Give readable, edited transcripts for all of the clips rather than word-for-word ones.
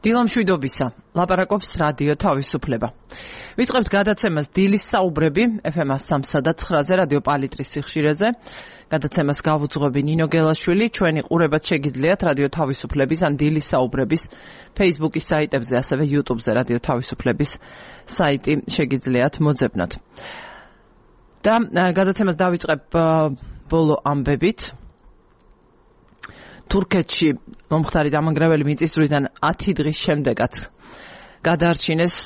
დილამშვიდობისა, ლაპარაკობს რადიო თავისუფლება. ვიწყებთ გადაცემას დილის საუბრები FM 103.9-ზე რადიო პალიტრის სიხშირეზე. გადაცემას გავუძღვები ნინო გელაშვილი, ჩვენი ყურებაც შეგიძლიათ რადიო თავისუფლების ან დილის საუბრების Facebook-ის საიტებზე, ასევე YouTube-ზე რადიო თავისუფლების საიტი შეგიძლიათ მოძებნოთ. და გადაცემას დავიწყებ ბოლო ამბებით. თურქეთში მომხდარი დამანგრეველი მიწისძვრიდან 10 დღის შემდეგაც გადაარჩინეს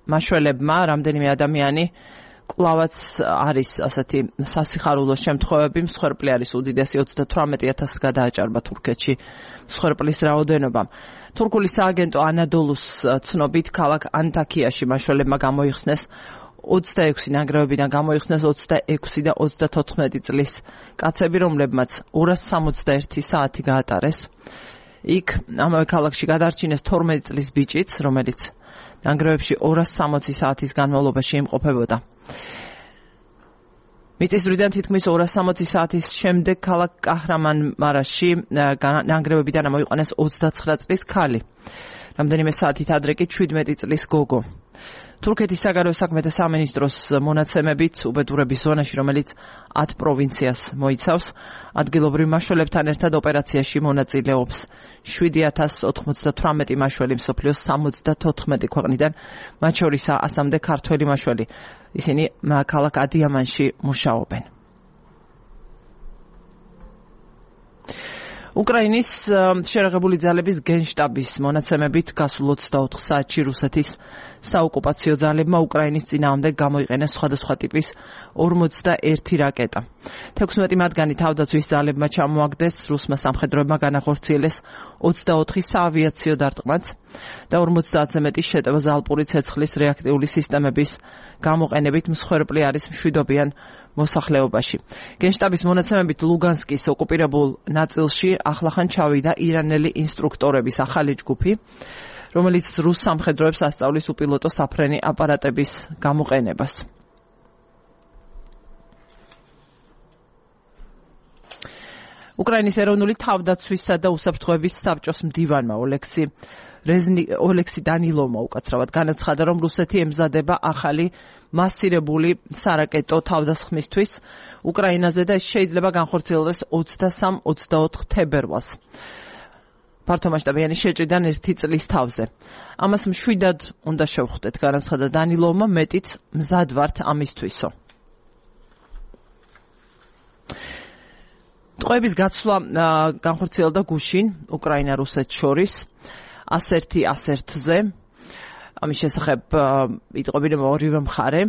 მაშველებმა რამდენიმე ადამიანი კვლავაც არის ასეთი სასიხარულო შემთხვევები, მსხვერპლი არის უდიდესი 38,000 გადააჭარბა თურქეთში მსხვერპლის რაოდენობა. თურქული სააგენტო ანადოლუს ცნობით ქალაქ ანტაქიაში მაშველებმა გამოიხსნეს 26 ნანგრევებიდან გამოიხსნეს 26 და 34 წლის კაცები, რომლებმაც 261 საათი გაატარეს. იქ ამავე ქალაქში გადარჩინეს 12 წლის ბიჭიც, რომელიც ნანგრევებში 260 საათის განმავლობაში იმყოფებოდა. მიწისძვრიდან თითქმის 260 საათის შემდეგ ქალაქ კაჰრამანმარაში ნანგრევებიდან ამოიყვანეს 29 წლის ქალი. რამდენიმე საათით ადრე კი 17 წლის გოგო. თურქეთის საგარეო საქმეთა სამინისტროს მონაცემებით უბედურების ზონაში, რომელიც 10 პროვინციას მოიცავს, ადგილობრივ მაშველებთან ერთად ოპერაციაში მონაწილეობს 7,098 მაშველი მსოფლიოს 74 ქვეყნიდან, მათ შორისაა 100-მდე ქართველი მაშველი. ისინი ქალაქ ადიამანში მუშაობენ. უკრაინის შერაღებული ძალების გენშტაბის მონაცემებით გასულ 24 საათში რუსეთის საოკუპაციო ძალებმა უკრაინის წინააღმდეგ გამოიყენეს სხვადასხვა ტიპის 41 რაკეტა. 16 მათგანი თავდაცვის ძალებმა ჩამოაგდეს, რუსმა სამხედროებმა განახორციელეს 24 საავიაციო დარტყმაც და 50-ზე მეტი შეტევა ზალპური ცეცხლის რეაქტიული სისტემების გამოყენებით მსხვერპლი არის მშვიდობიან მოსახლეობაში. გენშტაბის მონაცემებით ლუგანსკის ოკუპირებულ ნაწილში ახლახან ჩავიდა ირანელი ინსტრუქტორების ახალი ჯგუფი, რომელიც რუს სამხედროებს ასწავლის უპილოტო საფრენი აპარატების გამოყენებას. უკრაინის ეროვნული თავდაცვისა და უსაფრთხოების საბჭოს მდივანმა ოლექსი დანილოვმა უკაცრავად განაცხადა, რომ რუსეთი ემზადება ახალი მასირებული სარაკეტო თავდასხმისთვის უკრაინაზე და შეიძლება განხორციელდეს 23-24 თებერვალს. ფართომასშტაბიანი შეჭრიდან 1 წლის თავზე. ამას მშვიდად უნდა შევხვდეთ, განაცხადა დანილოვმა, მეტიც მზად ვართ ამისთვისო. ტყვეების გაცვლა განხორციელდა გუშინ უკრაინა-რუსეთს შორის 101-ზე. ამის შესახებ იტყობინება ორივე მხარე.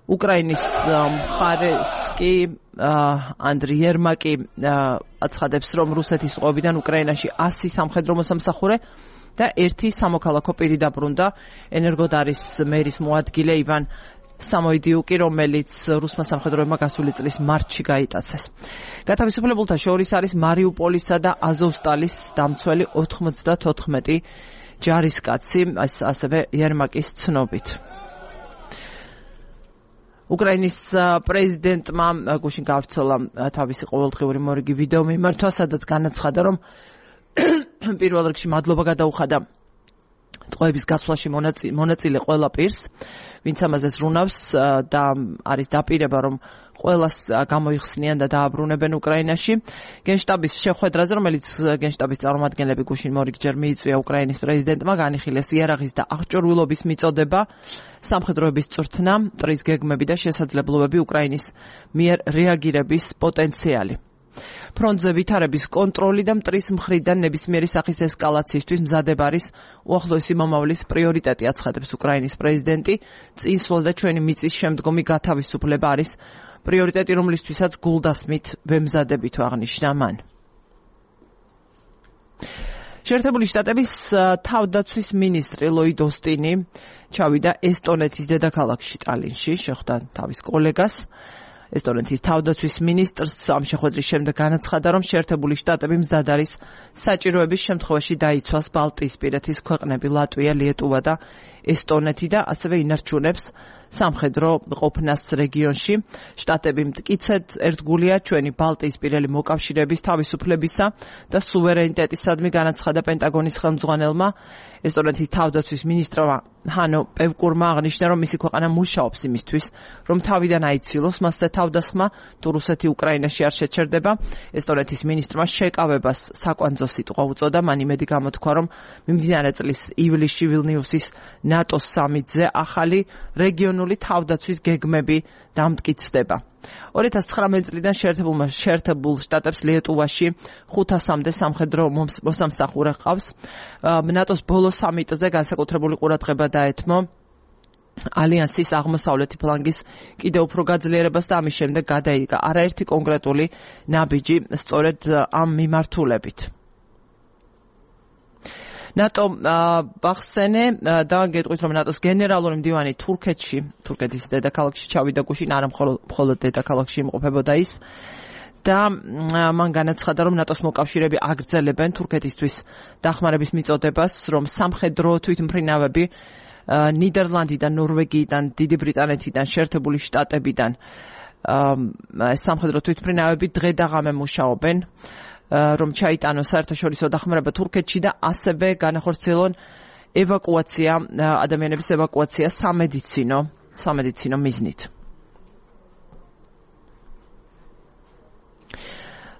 უკრაინის მხარეს კი ანდრი ერმაკი აცხადებს, რომ რუსეთის ტყვეებიდან უკრაინაში 100 სამხედრო მოსამსახურე და 1 სამოქალაქო პირი დაბრუნდა. ენერგოდარის მერის მოადგილე ივან სამოიდიუკი, რომელიც რუსმა სამხედროებმა გასული წლის მარტში გაიტაცეს. გათავისუფლებულთა შორის არის მარიუპოლისა და აზოვსტალის დამცველი 94 ჯარისკაცი, ასევე ერმაკის ცნობით. უკრაინის პრეზიდენტმა გუშინ გავრცელა თავისი ყოველდღიური მორიგი ვიდეო მიმართვა, სადაც განაცხადა, რომ პირველ რიგში მადლობა გადაუხადა ტყვეების გაცვლაში მონაწილე ყველა პირს, ვინც ამაზე ზრუნავს და არის დაპირება, რომ ყველას გამოიხსნიან და დააბრუნებენ უკრაინაში. გენშტაბის შეხვედრაზე, რომელიც გენშტაბის წარმომადგენლები გუშინ მორიგჯერ მიიწვია უკრაინის პრეზიდენტმა, განიხილეს იარაღის და აღჭურვილობის მიწოდება, სამხედროების წვრთნა, მტრის გეგმები და შესაძლებლობები უკრაინის მიერ რეაგირების პოტენციალი. ფრონტზე ვითარების კონტროლი და მტრის მხრიდან ნებისმიერი სახის ესკალაციისთვის მზადება არის უახლოესი მომავლის პრიორიტეტი, აცხადებს უკრაინის პრეზიდენტი. წინსვლა და ჩვენი მიწის შემდგომი გათავისუფლება არის პრიორიტეტი, რომლისთვისაც გულდასმით ვემზადებით, აღნიშნა მან. შეერთებული შტატების თავდაცვის მინისტრი ლოიდ ოსტინი ჩავიდა ესტონეთის დედაქალაქში ტალინში, შეხვდა თავის კოლეგას. ესტონეთის თავდაცვის მინისტრს ამ შეხვედრის შემდეგ განაცხადა, რომ შეერთებული შტატები მზად არის საჭიროების შემთხვევაში დაიცვას ბალტიისპირეთის ქვეყნები ლატვია, ლიეტუვა და ესტონეთი და ასევე ინარჩუნებს სამხედრო ყოფნას რეგიონში. შტატები მტკიცედ ერთგულია ჩვენი ბალტიისპირელი მოკავშირეების თავისუფლებისა და სუვერენიტეტისადმი განაცხადა პენტაგონის ხელმძღვანელმა. ესტონეთის თავდაცვის მინისტრმა ჰანო პევკურმა აღნიშნა, რომ მისი ქვეყანა მუშაობს იმისთვის, რომ თავიდან აიცილოს მასზე თავდასხმა თუ რუსეთი უკრაინაში არ შეჩერდება. ესტონეთის მინისტრმა შეკავებას საკვანძო სიტყვა უწოდა, მან იმედი გამოთქვა, რომ მიმდინარე წლის ივლისში ვილნიუსის ნატოს სამიტზე ახალი რეგიონული თავდაცვის გეგმები დამტკიცდება. 2019 წლიდან შეერთებულ შტატებს ლიეტუვაში 500-მდე სამხედრო მოსამსახურე ჰყავს. ნატოს ბოლო სამიტზე განსაკუთრებული ყურადღება დაეთმო ალიანსის აღმოსავლეთი ფლანგის კიდევ უფრო გაძლიერებას და ამის შემდეგ გადაიღა არაერთი კონკრეტული ნაბიჯი სწორედ ამ მიმართულებით. ნატო ბახსენე და გეტყვით, რომ ნატოს გენერალური მდივანი თურქეთის დედაქალაქში ჩავიდა გუშინ, არა მხოლოდ დედაქალაქში იმყოფებოდა ის და მან განაცხადა, რომ ნატოს მოკავშირეები აგრძელებენ თურქეთისთვის დახმარების მიწოდებას, რომ სამხედრო თვითმფრინავები ნიდერლანდიდან, ნორვეგიიდან, დიდი ბრიტანეთიდან, შეერთებული შტატებიდან სამხედრო თვითმფრინავები დღე და ღამე მუშაობენ, რომ ჩაიტანოს საერთაშორისო დახმარება თურქეთში და ასევე განახორციელონ ადამიანების ევაკუაცია სამედიცინო მიზნით.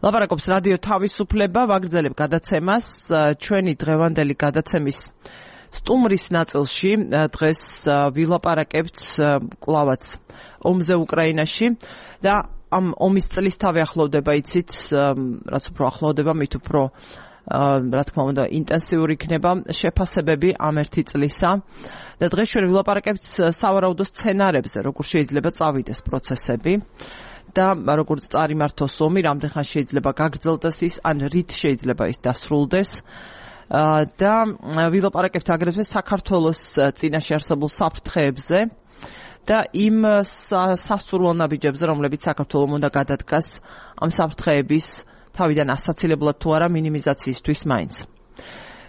ლაპარაკობს რადიო თავისუფლება, ვაგრძელებ გადაცემას. ჩვენი დღევანდელი გადაცემის სტუმრის ნაწილში დღეს ვილაპარაკებთ კვლავაც ომზე უკრაინაში და ამ ომის წლისთავი ახლოვდება, იცით, რაც უფრო ახლოვდება, მით უფრო რა თქმა უნდა ინტენსიური იქნება შეფასებები ამ ერთი წლისა და დღეს ჩვენ ვილაპარაკებთ სავარაუდო სცენარებზე, როგორ შეიძლება წავიდეს პროცესები და როგორც წარიმართოს ომი, რამდენ ხანს შეიძლება გაგრძელდეს ის, ან რით შეიძლება ის დასრულდეს. და ვილაპარაკებთ აგრეთვე საქართველოს წინაშე არსებულ საფრთხეებზე და იმ სასურველ ნაბიჯებზე, რომლებიც საქართველომ უნდა გადადგას ამ საფრთხეების თავიდან ასაცილებლად თუ არა მინიმიზაციისთვის მაინც.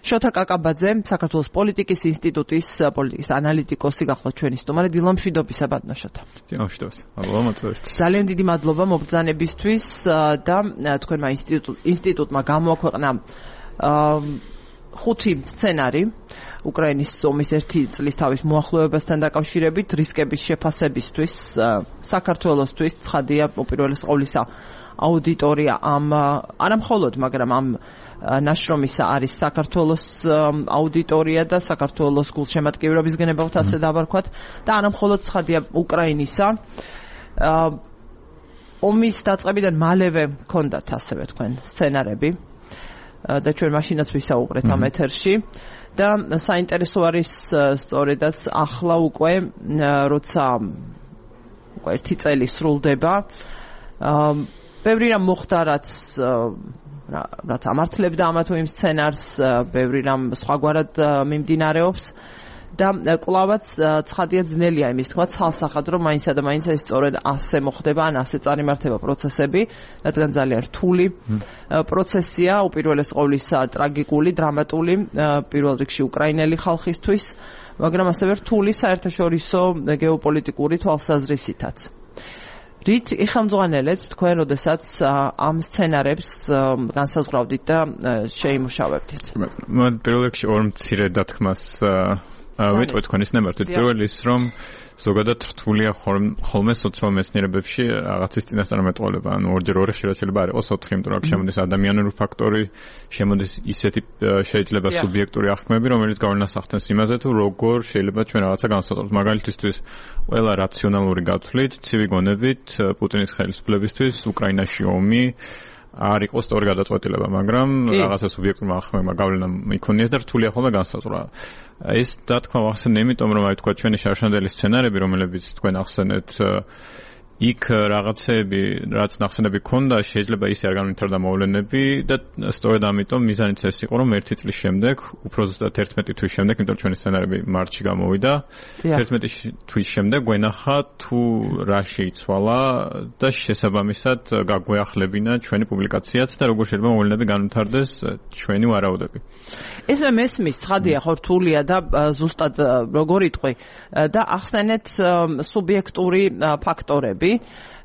შოთა კაკაბაძე, საქართველოს პოლიტიკის ინსტიტუტის პოლიტიკის ანალიტიკოსი გახლავთ ჩვენი სტუმარი. დილამშვიდობისა, ბატონო შოთა. დილამშვიდობისა. მადლობა მოწვევისთვის. ძალიან დიდი მადლობა მობრძანებისთვის და თქვენმა ინსტიტუტმა გამოაქვეყნა 5 სცენარი უკრაინის ომის ერთი წლის თავის მოახლოებასთან დაკავშირებით, რისკების შეფასებისთვის, საქართველოსთვის, ცხადია უპირველეს ყოვლისა აუდიტორია არა მხოლოდ, მაგრამ ამ ნაშრომისა არის საქართველოს აუდიტორია და საქართველოს გულშემატკივრობის გენებავთ ასე დავარქვათ და არა მხოლოდ ცხადია უკრაინისა. ომის დაწყებიდან მალევე ჰქონდათ ასევე თქვენ სცენარები და ჩვენ მაშინაც ვისაუბრეთ ამ ეთერში. და საინტერესო არის სწორედაც ახლა უკვე როცა ერთი წელი სრულდება, ბევრი რამ მოხდა, რაც ამართლებდა ამა თუ იმ სცენარს, ბევრი რამ სხვაგვარად მიმდინარეობს და კვლავაც ცხადია ძნელია იმის თქვა ცალსახად, რომ მაინცსა და მაინც ეს სწორედ ასე მოხდება, ან ასე წარიმართება პროცესები, რადგან ძალიან რთული პროცესია, უპირველეს ყოვლისა ტრაგიკული, დრამატული, პირველ რიგში უკრაინელი ხალხისთვის, მაგრამ ასევე რთული საერთაშორისო გეოპოლიტიკური თვალსაზრისითაც. რით იხელმძღვანელეთ თქვენ, როდესაც ამ სცენარებს განსაზღვრავდით და შეიმუშავებდით? პირველ რიგში ორ მცირე დათქმას ვიტყვი თქვენის ნებართვით. პირველი ის, რომ ზოგადად რთულია ხოლმე სოციალურ მეცნიერებებში რაღაცის წინასწარმეტყველება. ანუ ორჯერ ორი შეიძლება არ იყოს 4, იმიტომ რომ შემოდის ადამიანური ფაქტორი, შემოდის ისეთი შეიძლება სუბიექტური აღქმები, რომელიც გავლენას ახდენს იმაზე, თუ როგორ შეიძლება ჩვენ რაღაცა განსაზღვროთ. მაგალითისთვის, ყველა რაციონალური გათვლით, ცივი გონებით, პუტინის ხელისუფლებისთვის უკრაინაში ომი არ იყოს სწორი გადაწყვეტილება, მაგრამ რაღაცა სუბიექტურმა აღქმებმა გავლენა იქონიეს და რთულია ხოლმე განსაზღვრა. ეს დათქმა ვახსენე, იმიტომ რომ აი თქვა ჩვენი შარშანდელი სცენარები, რომლებიც თქვენ ახსენეთ, იქ რაღაცები, რაც ნახსენები ქონდა, შეიძლება ისე არ განვითარდა მოვლენები და სწორედ ამიტომ მიზანიც ეს იყო, რომ 1 წლის შემდეგ, უფრო ზუსტად 11 თვის შემდეგ, იმიტომ ჩვენი სცენარები მარტში გამოვიდა. 11 თვის შემდეგ გვენახა თუ რა შეიცვალა და შესაბამისად გაგვეახლებინა ჩვენი პუბლიკაციაც და როგორ შეიძლება მოვლენები განვითარდეს ჩვენი ვარაუდები. ეს მესმის ცხადია, ხო რთულია და ზუსტად როგორ იტყვი და ახსენეთ სუბიექტური ფაქტორები.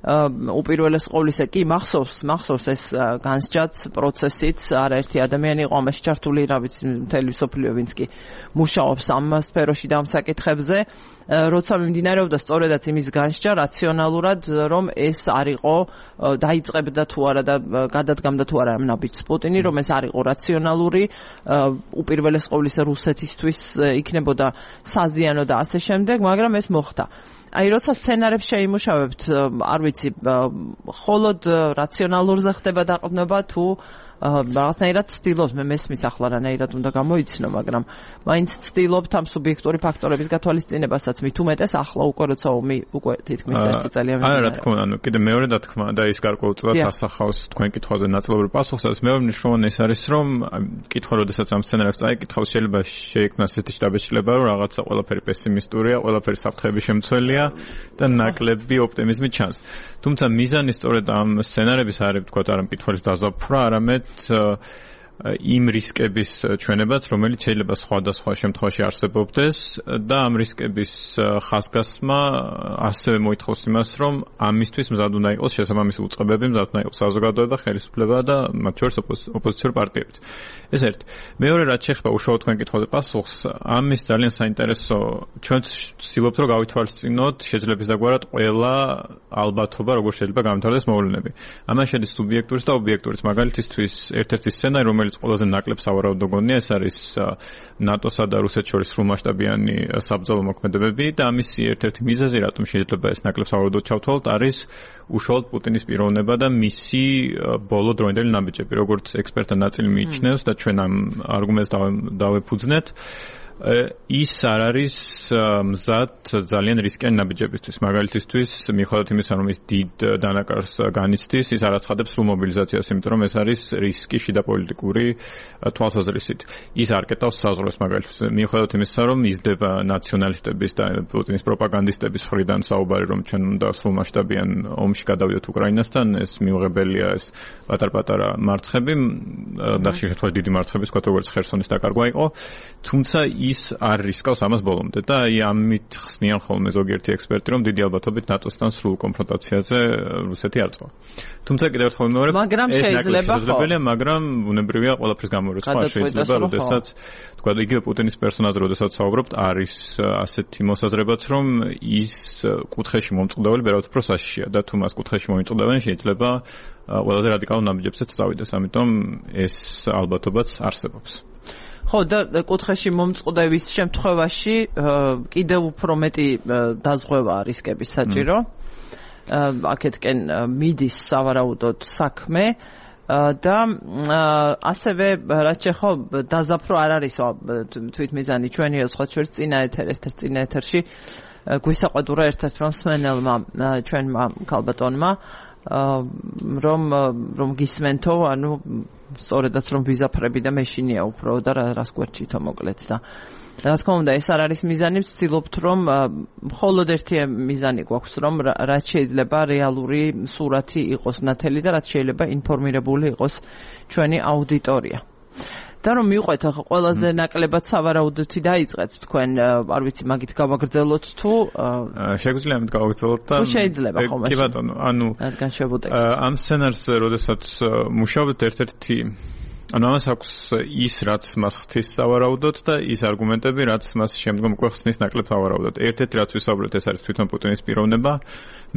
უპირველეს ყოვლისა კი მახსოვს ეს განსჯაც პროცესიც არაერთი ადამიანი იყო ამაში ჩართული, რა ვიცი, მთელი სოფლიო ვინც კი მუშაობს ამ სფეროში და ამ საკითხებზე, როცა მიმდინარეობდა სწორედაც იმის განსჯა რაციონალურად, რომ ეს არ იყო დაიწყებდა თუ არა და გადადგამდა თუ არა ნაბიჯს პუტინი, რომ ეს არ იყო რაციონალური, უპირველეს ყოვლისა რუსეთისთვის იქნებოდა საზიანო და ასე შემდეგ, მაგრამ ეს მოხდა. აი როცა სცენარებს შეიმუშავებთ, არ ვიცი, მხოლოდ რაციონალურზე ხდება დაყრდნობა თუ რაღაცნაირად ცდილობს, მე მესმის ახლა რანაირად უნდა გამოიცნო, მაგრამ მაინც ცდილობთ ამ სუბიექტური ფაქტორების გათვალისწინებასაც, მით უმეტეს ახლა უკვე როცა ომი უკვე თითქმის 1 წელი არა, რა თქმა უნდა, კიდე მეორე დათქმა და ის გარკვეულწილად ასახავს თქვენ კითხვაზე ნაწილობრივ პასუხსაც. მეორე მნიშვნელოვანი ის არის, რომ კითხვა, როდესაც ამ სცენარებს წაიკითხავ, შეიძლება შეიქმნას ესეთი შთაბეჭდილება, რომ რაღაცა ყველაფერი პესიმისტურია, ყველაფერი საფრთხეების შემცველია და ნაკლები ოპტიმიზმი ჩანს. თუმცა მიზანი სწორედ ამ სცენარების არის, თქვათ, არა მკითხველის დაზაფხვრა, არამედ იმ რისკების ჩვენებაც, რომელიც შეიძლება სხვადასხვა შემთხვევაში არსებობდეს და ამ რისკების ხაზგასმა ასევე მოითხოვს იმას, რომ ამისთვის მზად უნდა იყოს შესაბამისი უწყებები, მზად უნდა იყოს საზოგადოება, ხელისუფლება და მათ შორის ოპოზიციური პარტიებიც. ეს ერთ. მეორე, რაც შეეხება უშუალოდ თქვენ კითხვაზე პასუხს, ამის ძალიან საინტერესო, ჩვენ ვცდილობთ, რომ გავითვალისწინოთ შეძლების დაგვარად ყველა ალბათობა, როგორ შეიძლება გამართდეს მოვლენები. ამან შედის სუბიექტურის და ობიექტურის. მაგალითისთვის, ერთ-ერთი სცენარი, რომელიც ყველაზე ნაკლებ სავარაუდო გონია, ეს არის ნატოსა და რუსეთს შორის სრულმასშტაბიანი საბრძოლო მოქმედებები და ამის ერთ-ერთი მიზეზი, რატომ შეიძლება ეს ნაკლებ სავარაუდოდ ჩავთვალოთ, არის უშუალოდ პუტინის პიროვნება და მისი ბოლო დროინდელი ნაბიჯები, როგორც ექსპერტთა ნაწილი მიიჩნევს და ჩვენ ამ არგუმენტს დავეფუძნეთ. ის არ არის მზად ძალიან რისკიანი ნაბიჯებისთვის. მაგალითისთვის, მიუხედავად იმისა, რომ ის დიდ დანაკარს განიცდის, ის არ აცხადებს სრულ მობილიზაციას, იმიტომ რომ ეს არის რისკი შიდა პოლიტიკური თვალსაზრისით. ის არ კეტავს საზღვრებს, მაგალითისთვის, მიუხედავად იმისა, რომ იზრდება ნაციონალისტების და პუტინის პროპაგანდისტების მხრიდან საუბარი, რომ ჩვენ უნდა სრულმასშტაბიან ომში გადავიდეთ უკრაინასთან, ეს მიუღებელია, ეს პატარ-პატარა მარცხები, და ხშირ შემთხვევაში დიდი მარცხები, თქვათ, როგორც ხერსონის დაკარგვა იყო, თუმცა ის არ რისკავს ამას ბოლომდე და ამით ხსნიან ხოლმე ზოგიერთი ექსპერტი, რომ დიდი ალბათობით ნატოსთან სრულ კონფრონტაციაზე რუსეთი არ წვა. თუმცა კიდევ ერთხელ მეორე, ეს შესაძლებელია, მაგრამ ბუნებრივია ყველაფრის გამორიცხვა შეიძლება, როდესაც თქვა იგივე პუტინის პერსონაჟი, როდესაც საუბრობთ, არის ასეთი მოსაზრებაც, რომ ის კუთხეში მომწყდაველი ვერავთ უფრო საშიშია და თუ მას კუთხეში მოიმწყდავენ, შეიძლება ყველაზე რადიკალურ ნაბიჯებსაც წავიდეს, ამიტომ ეს ალბათობაც არსებობს. ხო და კუთხეში მომწყდევის შემთხვევაში კიდევ უფრო მეტი დაზღვევა რისკების საჭირო. აქეთკენ მიდის სავარაუდოდ საქმე და ასევე რაც შეხო დაზაფრო არ არის თვითმიზანი ჩვენიო სხვა შორის წინა ეთერში გვისაყვედურა ერთ-ერთმა მსმენელმა ჩვენმა ქალბატონმა რომ გისმენთო, ანუ სწორედაც რომ ვიზაფრები და მეშინია უფრო და რას გვერდჩითო მოკლედ და რა თქმა უნდა ეს არ არის მიზანი, ვცდილობთ რომ მხოლოდ ერთი მიზანი გვაქვს, რომ რაც შეიძლება რეალური სურათი იყოს ნათელი და რაც შეიძლება ინფორმირებული იყოს ჩვენი აუდიტორია. და რომ მივყვეთ ახლა ყველაზე ნაკლებად სავარაუდოთი დაიწყეთ თქვენ, არ ვიცი, მაგით გავაგრძელოთ თუ შეგვიძლია ამით გავაგრძელოთ და შეიძლება ხოლმე. კი ბატონო, ანუ რადგან შევუტეკეთ. ამ სცენარს როდესაც მუშაობთ ერთ-ერთი ანუ ამას აქვს ის, რაც მას ხთის სავარაუდოდ და ის არგუმენტები, რაც მას შემდგომ უკვე ხსნის ნაკლებ სავარაუდოდ. ერთ-ერთი რაც ვისაუბრეთ, ეს არის თვითონ პუტინის პიროვნება.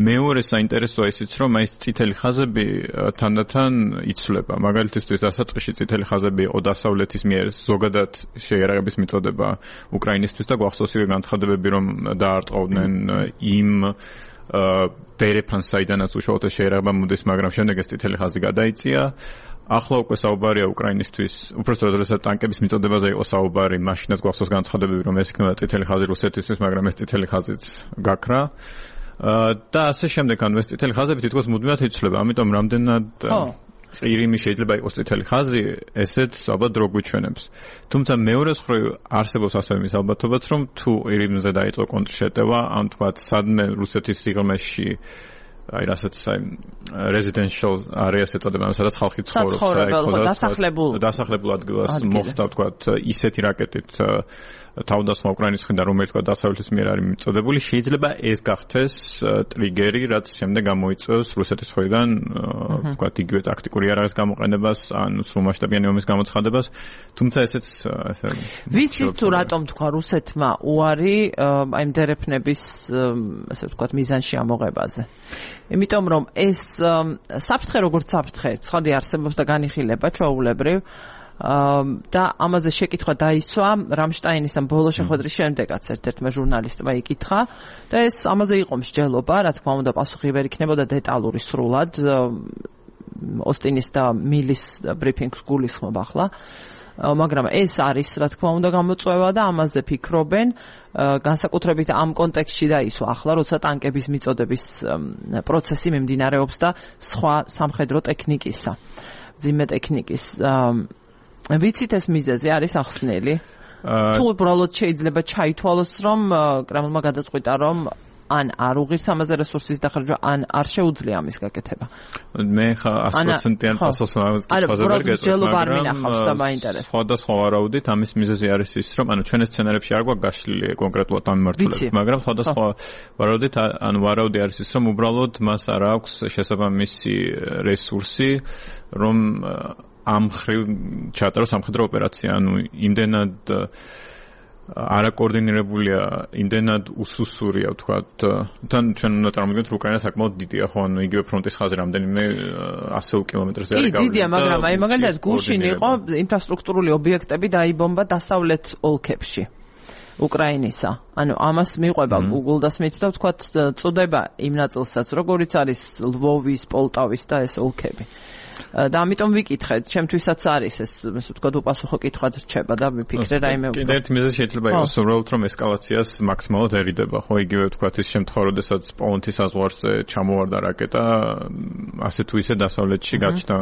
მეორე საინტერესოა ისიც, რომ აი ეს წითელი ხაზები თანდათან იცვლება. მაგალითისთვის დასაწყისში წითელი ხაზები იყო დასავლეთის მიერ ზოგადად შეიარაღების მიწოდება უკრაინისთვის და გვახსოვს იგივე განცხადებები, რომ დაარტყავდნენ იმ დერეფანს, საიდანაც უშუალოდ შეიარაღება მოდის, მაგრამ შემდეგ ეს წითელი ხაზი გადაიწია. ახლა უკვე საუბარია უკრაინისთვის, უბრალოდ როდესაც ტანკების მიწოდებაზე იყო საუბარი, მაშინაც გვახსოვს განცხადებები, რომ ეს იქნება წითელი ხაზი რუსეთისთვის, მაგრამ ეს წითელი ხაზიც გაქრა. და ასე შემდეგ ანუ ეს წითელი ხაზები თითქოს მუდმივად იცვლება, ამიტომ რამდენად ყირიმი შეიძლება იყოს წითელი ხაზი, ესეც ალბათ დრო გვიჩვენებს. თუმცა მეორე მხრივ არსებობს ასევე მის ალბათობაც, რომ თუ ყირიმზე დაიწყო კონტრშეტევა, ან თქვათ სადმე რუსეთის სიღრმეში აი რასაც აი residential areas ეწოდება, სადაც ხალხი ცხოვრობს, დასახლებულ ადგილას მოხდა თქვათ ისეთი რაკეტით თავდასხმა უკრაინის მხრიდან, რომელიც თქვათ დასავლეთის მიერ არის მიწოდებული, შეიძლება ეს გახდეს ტრიგერი, რაც შემდეგ გამოიწვევს რუსეთის მხრიდან თქვათ იგივე ტაქტიკური იარაღის გამოყენებას, ან სრულმასშტაბიანი ომის გამოცხადებას, თუმცა ესეც ასე ვიცით თუ რატომ თქვა რუსეთმა უარი აი მდერეფნების ასე ვთქვათ მიზანში ამოღებაზე. იმიტომ რომ ეს საფრთხე როგორც საფრთხე ცხადი არსებობს და განიხილება ჩვეულებრივ და ამაზე შეკითხვა დაისვა რამშტაინის ამ ბოლო შეხვედრის შემდეგაც ერთ-ერთმა ჟურნალისტმა იკითხა და ეს ამაზე იყო მსჯელობა, რა თქმა უნდა პასუხი ვერ იქნებოდა დეტალური სრულად ოსტინის და მილის ბრიფინგს გულისხმობ ახლა მაგრამ ეს არის რა თქმა უნდა გამოწვევა და ამაზე ფიქრობენ განსაკუთრებით ამ კონტექსტში დაისვა ახლა როცა ტანკების მიწოდების პროცესი მიმდინარეობს და სხვა სამხედრო ტექნიკისა ძიმე ტექნიკის ვიცით ეს მიზეზი არის ახსნელი თუ უბრალოდ შეიძლება ჩაითვალოს რომ კრემლმა გადაწყვიტა რომ ან არ უღირს ამაზე რესურსის დახარჯვა, ან არ შეუძლია ამის გაკეთება. მე ხა 100%-იან პასუხს ვაკეთებ, მაგრამ სხვადასხვა ვარაუდით ამის მიზეზი არის ის, რომ ანუ ჩვენ სცენარებში არ გვაქვს გაშლილი კონკრეტულად ამ მიმართულებით, მაგრამ სხვადასხვა ვარაუდით ანუ ვარაუდი არის ის, რომ უბრალოდ მას არ აქვს შესაბამისი რესურსი, რომ ამ ხრივ ჩაატაროს სამხედრო ოპერაცია, ანუ იმდენად არაკოორდინირებულია, იმდენად უსუსურია, ვთქვათ, თან ჩვენ უნდა წარმოვიდგინოთ, რომ უკრაინა საკმაოდ დიდია, ხო, ანუ იგივე ფრონტის ხაზი რამდენიმე 100 კილომეტრზე არის გავლილი. დიდია, მაგრამ აი მაგალითად გუშინ იყო ინფრასტრუქტურული ობიექტები დაიბომბა დასავლეთ ოლქებში. უკრაინისა. ანუ ამას მიყვება Google და Smith და ვთქვათ, წოდება იმ ნაწილსაც, როგორიც არის ლვოვის, პოლტავის და ეს ოლქები. და ამიტომ ვიკითხეთ, ჩემთვისაც არის ეს, ასე ვთქვათ, უპასუხო კითხვად რჩება და ვიფიქრე რაიმე. კიდევ ერთი მიზეზი შეიძლება იყოს, რომ ესკალაციას მაქსიმალურად ერიდება, ხო, იგივე ვთქვათ, ის შემთხვევა, როდესაც პოლონეთის საზღვარზე ჩამოვარდა რაკეტა, ასე თუ ისე დასავლეთში გაჩნდა,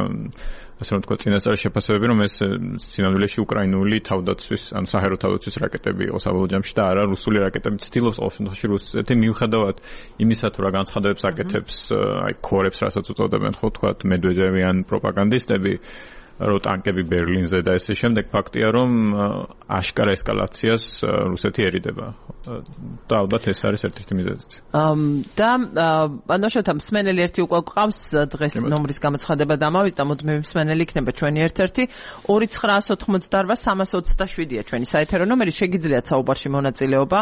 ასე რომ ვთქვათ, წინასწარი შეფასებები, რომ ეს სინამდვილეში უკრაინული თავდაცვის, ანუ საჰაერო თავდაცვის რაკეტები იყო საბოლოო ჯამში და არა რუსული რაკეტები. ცდილობს ყოველ შემთხვევაში რუსეთი მიუხედავად იმისა, თუ რა განცხადებებს აკეთებს, აი ქორებს, რასაც უწოდებენ, ხო, ვთქვათ, მედვედევი ან პროპაგანდისტები, რომ ტანკები ბერლინზე და ესე შემდეგ, ფაქტია, რომ აშკარა ესკალაციას რუსეთი ერიდება. და ალბათ ეს არის ერთ-ერთი მიზეზიც. და ბანოშოთა მსმენელი ერთი უკვე გვყავს დღეს ნომრის გამოცხადება დამავიდა, მოდმე მსმენელი იქნება ჩვენი ერთ-ერთი 2988-327-ია ჩვენი საეთერო ნომერი, შეგიძლიათ საუბარში მონაწილეობა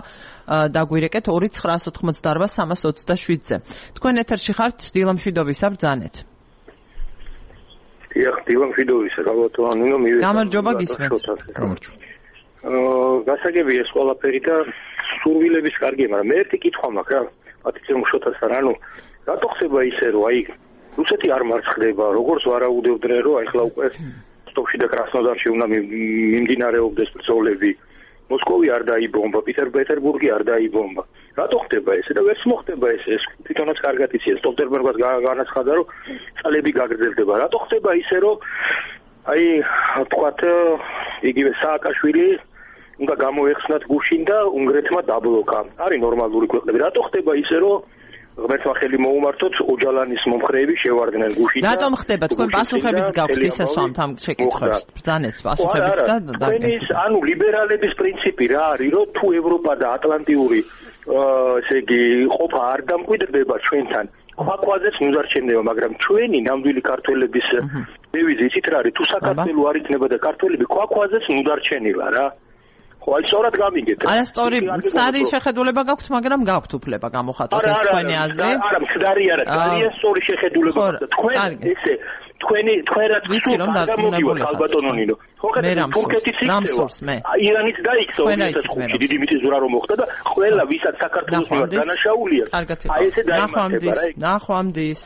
დაგვირეკეთ 2988-327-ზე. თქვენ ეთერში ხართ დილამშვიდობისა ბრძანეთ. დიახ, დილამშვიდობისა, გაბატონო, გამარჯობა გისმენთ. გასაგები ეს ყველაფერი და სურვილების კარგია, მაგრამ მე ერთი კითხვა მაქვს რა, პატრიცია მუშოთასთან, ანუ რატო ხდება ისე, რომ აი რუსეთი არ მარცხდება, როგორც ვარაუდობდნენ, რომ აი ხლა უკვე სტოპში და კრასნოდარში უნდა მიმდინარეობდეს ბრძოლები. მოსკოვი არ დაიბომბა, პეტერბურგი არ დაიბომბა. რატო ხდება ესე და ვერც მოხდება ესე? ეს თვითონაც კარგად იციან. სტოლტენბერგს განაცხადა, რომ წლები გაგრძელდება. რატო ხდება ისე, რომ აი თქვათ იგივე სააკაშვილი უნდა გამოეხსნათ გუშინ და უნგრეთმა დაბლოკა. არის ნორმალური ქვეყნები. რატო ხდება ისე, რომ ღმერთმა ხელი მოუმართოთ, ოჯალანის მომხრეები შევარდნენ გუშინ და რატომ ხდება? თქვენ პასუხებიც გაქვთ ისე სვამთ ამ შეკითხვებს. ბრძანეთ პასუხებიც და თქვენის ანუ ლიბერალების პრინციპი რა არის, რომ თუ ევროპა და ატლანტიური ესე იგი ყოფა არ დამკვიდრდება ჩვენთან, ქვაქვაზეც მუდარჩენდება, მაგრამ ჩვენი ნამდვილი ქართველების დევიზი იცით რა არის? თუ საქართველო არ იქნება და ქართველები ქვაქვაზეც მუდარჩენილა რა. ხო, აი სწორად გამიგეთ. არასწორი, მცდარი შეხედულება გაქვთ, მაგრამ გაქვთ უფლება გამოხატოთ ეს თქვენი აზრი. არა, მცდარი არა, ძალიან სწორი შეხედულება გაქვთ. თქვენ ესე თქვენ რაც ვიცი რომ გამოგივართ ალბათონო ნინო. ხო, თურქეთის იქცევა. ირანიც დაიქცა 2005-ში დიდი მიწისძვრა რომ მოხდა და ყველა ვისაც საქართველოს მიმართ დანაშაულია. აი ესე დაიმართება რა. ნახვამდის.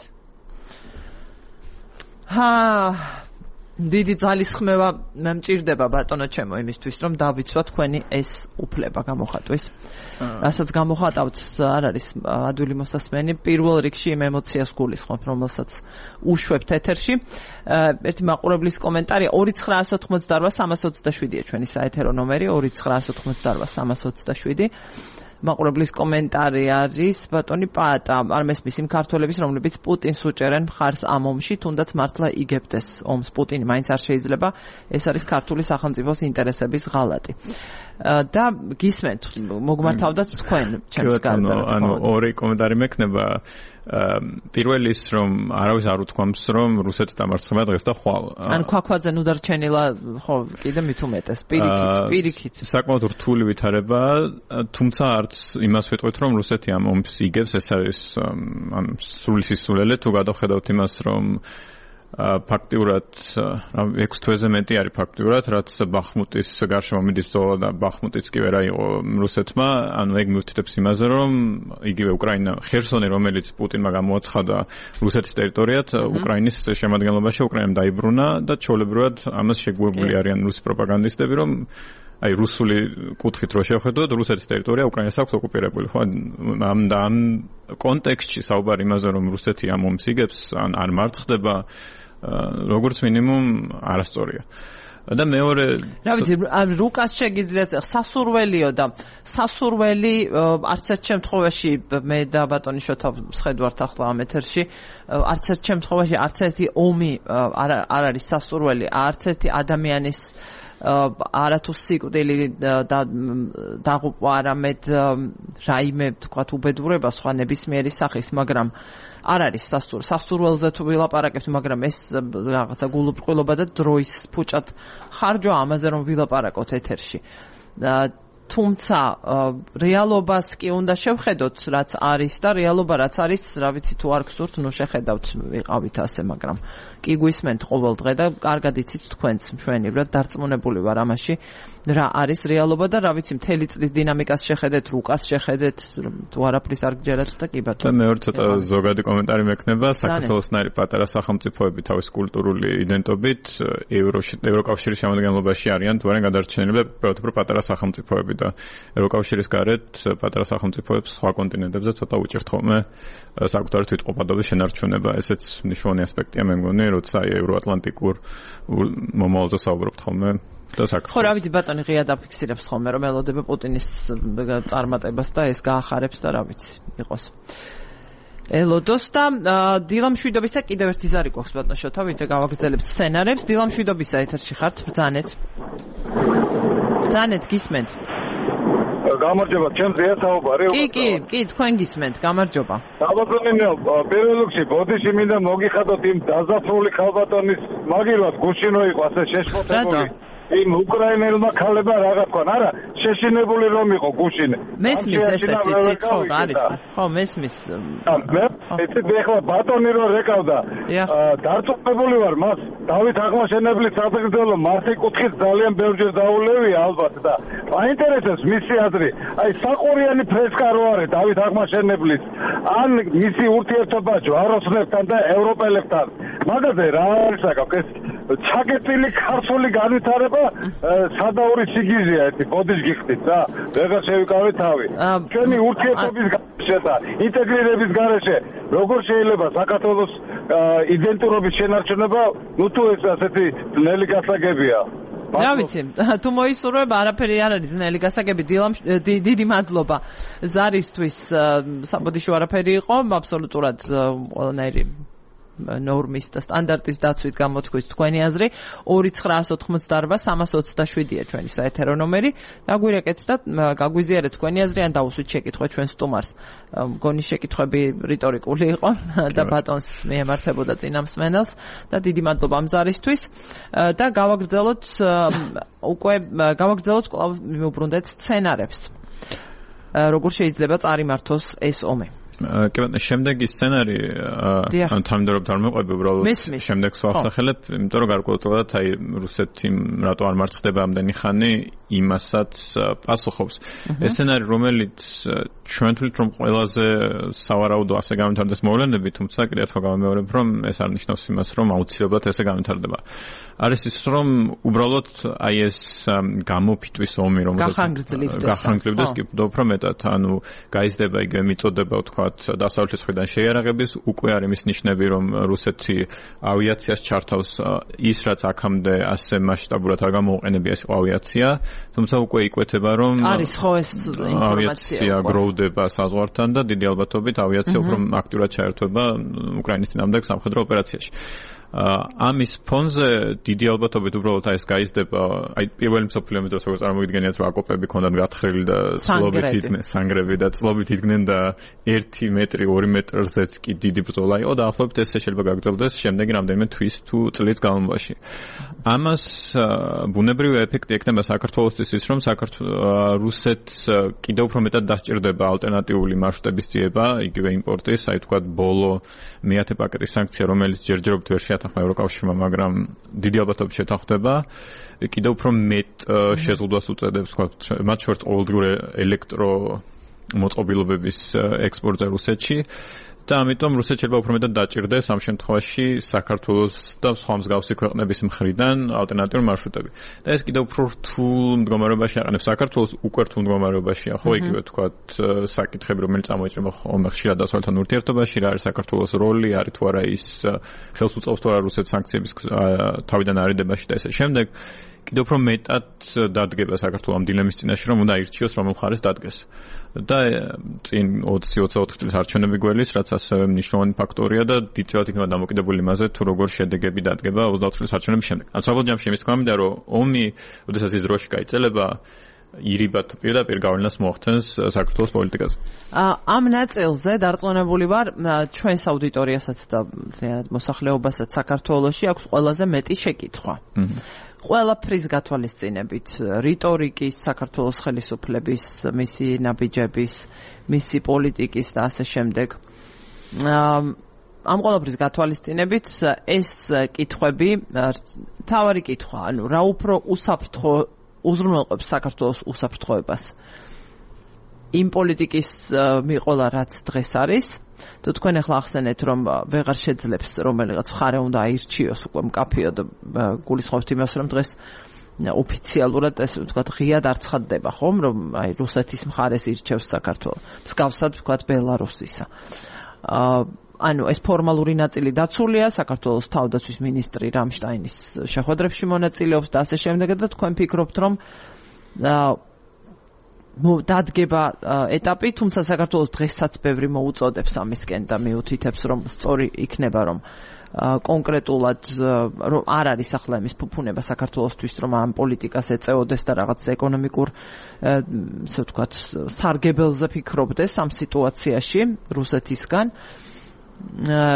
დიდი ძალისხმევა მე მჭირდება ბატონო ჩემო იმისთვის რომ დავიცვა თქვენი ეს უფლება გამოხატვის. რასაც გამოხატავთ არ არის ადვილი მოსასმენი პირველ რიგში იმ ემოციას გულისხმობ რომელსაც უშვებთ ეთერში. ერთი მაყურებლის კომენტარი 2988327-ია ჩვენი საეთერო ნომერი 2988327. მაყურებლის კომენტარი არის ბატონი პაატა არ მესმის იმ ქართველების რომლებიც პუტინს უჭერენ მხარს ამ ომში თუნდაც მართლა იგებდეს ომს პუტინი მაინც არ შეიძლება ეს არის ქართული სახელმწიფოს ინტერესების ღალატი და გისმენთ მოგმართავდათ თქვენ ჩემს გარდა ანუ ორი კომენტარი მექნება პირველი ის რომ არავის არ უთქვამს რომ რუსეთი დამარცხება დღეს და ხვალ ან ქვაქვაძე ნუ დარჩენილა ხო კიდე მით უმეტეს პირიქით საკმაოდ რთული ვითარება თუმცა არც იმას ვიტყვით რომ რუსეთი ამ ომს იგებს ეს არის სრული სისულელე თუ გადავხედავთ იმას რომ ფაქტიურად 6 თვეზე მეტი არის ფაქტიურად რაც ბახმუტის გარშემო მიდის ბრძოლა და ბახმუტიც კი ვერ აიღო რუსეთმა ანუ ეგ მივთითებს იმაზე რომ იგივე უკრაინა ხერსონი რომელიც პუტინმა გამოაცხადა რუსეთის ტერიტორიად უკრაინის შემადგენლობაში უკრაინამ დაიბრუნა და ჩაოლებრივად ამას შეგუებული არიან რუსი პროპაგანდისტები რომ აი რუსული კუთხით რო შევხედოთ რუსეთის ტერიტორია უკრაინას აქვს ოკუპირებული ხო ამ კონტექსტში საუბარი იმაზე რომ რუსეთი ამ ომს იგებს ან არ მარცხდება როგორც მინიმუმ არასწორია და მეორე რა ვიცი რუკას შეგიძლიათ სასურველიო და სასურველი არც ერთ შემთხვევაში მე და ბატონი შოთა ვხედავთ ახლა ამ ეთერში არც ერთ შემთხვევაში არც ერთი ომი არ არის სასურველი არც ერთი ადამიანის არათუ სიკვდილი დაღუპვა არამედ რაიმე თქვათ უბედურება სხვა ნებისმიერი სახის მაგრამ არ არის სასურველზე თუ ვილაპარაკებთ მაგრამ ეს რაღაცა გულუბრყვილობა და დროის ფუჭად ხარჯვა ამაზე რომ ვილაპარაკოთ ეთერში თუმცა რეალობას კი უნდა შევხედოთ რაც არის და რეალობა რაც არის რა ვიცი თუ არ გსურთ ნუ შეხედავთ ვიყავით ასე მაგრამ კი გვისმენთ ყოველ დღე და კარგად იცით თქვენც მშვენივრად დარწმუნებული ვარ ამაში რა არის რეალობა და რა ვიცი მთელი წლის დინამიკას შეხედეთ რუკას შეხედეთ თუ არაფრის არ გჯერათ და კი ბატონო და მეორე ცოტა ზოგადი კომენტარი მექნება საქართველოსნაირი პატარა სახელმწიფოები თავის კულტურული იდენტობით ევროკავშირის შემადგენლობაში არიან თუ არიან გადარჩენილები უფრო პატარა სახელმწიფოები და ევროკავშირის გარეთ პატარა სახელმწიფოებს სხვა კონტინენტებზე ცოტა უჭირთ ხოლმე საკუთარი თვითყოფადობის შენარჩუნება ესეც მნიშვნელოვანი ასპექტია მე მგონი როცა ევროატლანტიკურ მომავალზე საუბრობთ ხოლმე ხო რა ვიცი ბატონი ღია დაფიქსირებს ხოლმე რომ ელოდება პუტინის წარმატებას და ეს გაახარებს და რა ვიცი იყოს ელოდოს და დილამშვიდობისა კიდევ ერთი ზარი გვაქვს ბატონო შოთა ვიდრე გავაგრძელებთ სცენარებს დილამშვიდობისა ეთერში ხართ ბრძანეთ გისმენთ გამარჯობა ჩემზეა საუბარი კი თქვენ გისმენთ გამარჯობა საბატონო პირველ რიგში ბოდიში მინდა მოგიხადოთ იმ დაზაფრული ხალბატონის მაგილად გუშინო იყო ასე შეშფოთებული იმ უკრაინელმა ქალებმა რა თქვან არა შეშინებული რომ იყო გუშინე მესმის ესეც იცით ხო არის ხო მესმის მე იცით ეხლა ბატონი რო რეკავდა დარწმუნებული ვარ მას დავით აღმაშენებლის საგრძელო მასი კუთხით ძალიან ბევრჯერ დაულევია ალბათ და აინტერესებს მისი აზრი აი საყურიანი ფრესკა რო არის დავით აღმაშენებლის ან მისი ურთიერთობა ჯვაროსნებთან და ევროპელებთან მაგაზე რა არის აკაკ ეს ჩაგეწილი ქართული განვითარება სადაური სიგიზეა ერთი ბოდიშ გიხდით რა ვეღარ შევიკავე თავი ჩვენი ურთიერთობის გარეშე და ინტეგრირების გარეშე როგორ შეიძლება საქართველოს იდენტურობის შენარჩუნება ნუ თუ ეს ასეთი ძნელი გასაგებია რა ვიცი თუ მოისურვება არაფერი არ არის ძნელი გასაგები დიდი მადლობა ზარისთვის საბოდიშო არაფერი იყო აბსოლუტურად ყველანაირი ნორმის და სტანდარტის დაცვით გამოთქვით თქვენი აზრი 2988327-ია ჩვენი საეთერო ნომერი დაგვირეკეთ და გაგვიზიარეთ თქვენი აზრი ან დაუსვით შეკითხვა ჩვენ სტუმარს მგონი შეკითხვები რიტორიკული იყო და ბატონს მიემართებოდა წინამსმენელს და დიდი მადლობა ამ ზარისთვის და გავაგრძელოთ კვლავ მივუბრუნდეთ სცენარებს როგორ შეიძლება წარიმართოს ეს ომი კი ბატონო შემდეგი სცენარი ან თანმიმდევრობთ არ მეყვები უბრალოდ შემდეგს ვახსახელებ იმიტომ რომ გარკვეულწილად აი რუსეთი რატო არ მარცხდება ამდენი ხანი იმასაც პასუხობს ეს სცენარი რომელიც ჩვენ თვლით რომ ყველაზე სავარაუდო ასე განვითარდეს მოვლენები, თუმცა კიდევ ერთხელ გამემეორებ, რომ ეს არ ნიშნავს იმას, რომ აუცილებლად ესე განვითარდება. არის ის, რომ უბრალოდ აი ეს გამოფიტვის ომი, რომელიც გახანგრძლივდეს, კი უფრო მეტად, ანუ გაიზრდება იგივე მიწოდება, ვთქვათ, დასავლეთის მხრიდან შეიარაღების, უკვე არის მის ნიშნები, რომ რუსეთი ავიაციას ჩართავს ის, რაც აქამდე ასე მასშტაბურად არ გამოუყენებია ეს ავიაცია, თუმცა უკვე იკვეთება, რომ არის ხო ეს ინფორმაცია გროვდება საზღვართან და დიდი ალბათობით ავიაცია უფრო აქტიურად ჩაერთვება უკრაინის წინააღმდეგ სამხედრო ოპერაციაში. ამის ფონზე დიდი ალბათობით უბრალოდ ეს გაიზრდება, აი პირველი მსოფლიო ომის დროს როგორც წარმოგიდგენიათ, რომ აკოპები ქონდათ გათხრილი და წლობით იდგნენ სანგრები და წლობით იდგნენ და 1 მეტრი 2 მეტრზეც კი დიდი ბრძოლა იყო და ახლობთ ეს შეიძლება გაგრძელდეს შემდეგი რამდენიმე თვის თუ წლის განმავლობაში. ამას ბუნებრივი ეფექტი ექნება საქართველოსთვის ის, რომ რუსეთს კიდევ უფრო მეტად დასჭირდება ალტერნატიული მარშრუტების ძიება, იგივე იმპორტის, აი თქვა ბოლო მეათე პაკეტის სანქცია, რომელიც ჯერჯერობით ვერ შეათანხმა ევროკავშირმა, მაგრამ დიდი ალბათობით შეთანხმდება, კიდევ უფრო მეტ შეზღუდვას უწევს, თქვა მათ შორის ყოველდღიური ელექტრო მოწყობილობების ექსპორტზე რუსეთში. და ამიტომ რუსეთი შეიძლება უფრო მეტად დაჭირდეს ამ შემთხვევაში საქართველოს და სხვა მსგავსი ქვეყნების მხრიდან ალტერნატიული მარშრუტები. და ეს კიდევ უფრო რთულ მდგომარეობაში აყენებს საქართველოს, უკვე რთულ მდგომარეობაშია, ხო, იგივე თქვათ საკითხები, რომელიც წამოიჭრება ხოლმე ხშირად დასავლეთთან ურთიერთობაში, რა არის საქართველოს როლი, არის თუ არა ის ხელს უწყობს თუ არა რუსეთს სანქციების თავიდან არიდებაში და ესე შემდეგ. კიდევ უფრო მეტად დადგება საქართველოს ამ დილემის წინაშე, რომ უნდა ირჩიოს რომელ მხარეს დადგეს. და წინ 20-24 წლის არჩევნები გველის, რაც ასევე მნიშვნელოვანი ფაქტორია და დიდწილად იქნება დამოკიდებული იმაზე, თუ როგორ შედეგები დადგება 24 წლის არჩევნების შემდეგ. ამ საბოლოო ჯამში იმის თქმა მინდა, რომ ომი, როდესაც ის დროში გაიწელება, ირიბად პირდაპირ გავლენას მოახდენს საქართველოს პოლიტიკაზე. ამ ნაწილზე დარწმუნებული ვარ, ჩვენს აუდიტორიასაც და მოსახლეობასაც საქართველოში აქვს ყველაზე მეტი შეკითხვა. ყველაფრის გათვალისწინებით, რიტორიკის, საქართველოს ხელისუფლების, მისი ნაბიჯების, მისი პოლიტიკის და ასე შემდეგ. ამ ყველაფრის გათვალისწინებით ეს კითხვები, თავარი კითხვა, ანუ რა უფრო უსაფრთხო უზრუნველყოფს საქართველოს უსაფრთხოებას. იმ პოლიტიკის მიყოლა, რაც დღეს არის. თუ თქვენ ახლა ახსენეთ, რომ ვეღარ შეძლებს რომელიღაც მხარე უნდა აირჩიოს უკვე მკაფიოდ, გულისხმობთ იმას, რომ დღეს ოფიციალურად ეს ვთქვათ ღიად არ ცხადდება, ხომ, რომ აი რუსეთის მხარეს ირჩევს საქართველოს. მსგავსად ვთქვათ ბელარუსისა. ანუ ეს ფორმალური ნაწილი დაცულია, საქართველოს თავდაცვის მინისტრი რამშტაინის შეხვედრებში მონაწილეობს და ასე შემდეგ და თქვენ ფიქრობთ, რომ დადგება ეტაპი, თუმცა საქართველოს დღესაც ბევრი მოუწოდებს ამისკენ და მიუთითებს, რომ სწორი იქნება, რომ კონკრეტულად რომ არ არის ახლა იმის ფუფუნება საქართველოსთვის, რომ ამ პოლიტიკას ეწეოდეს და რაღაც ეკონომიკურ ესე ვთქვათ სარგებელზე ფიქრობდეს ამ სიტუაციაში რუსეთისგან,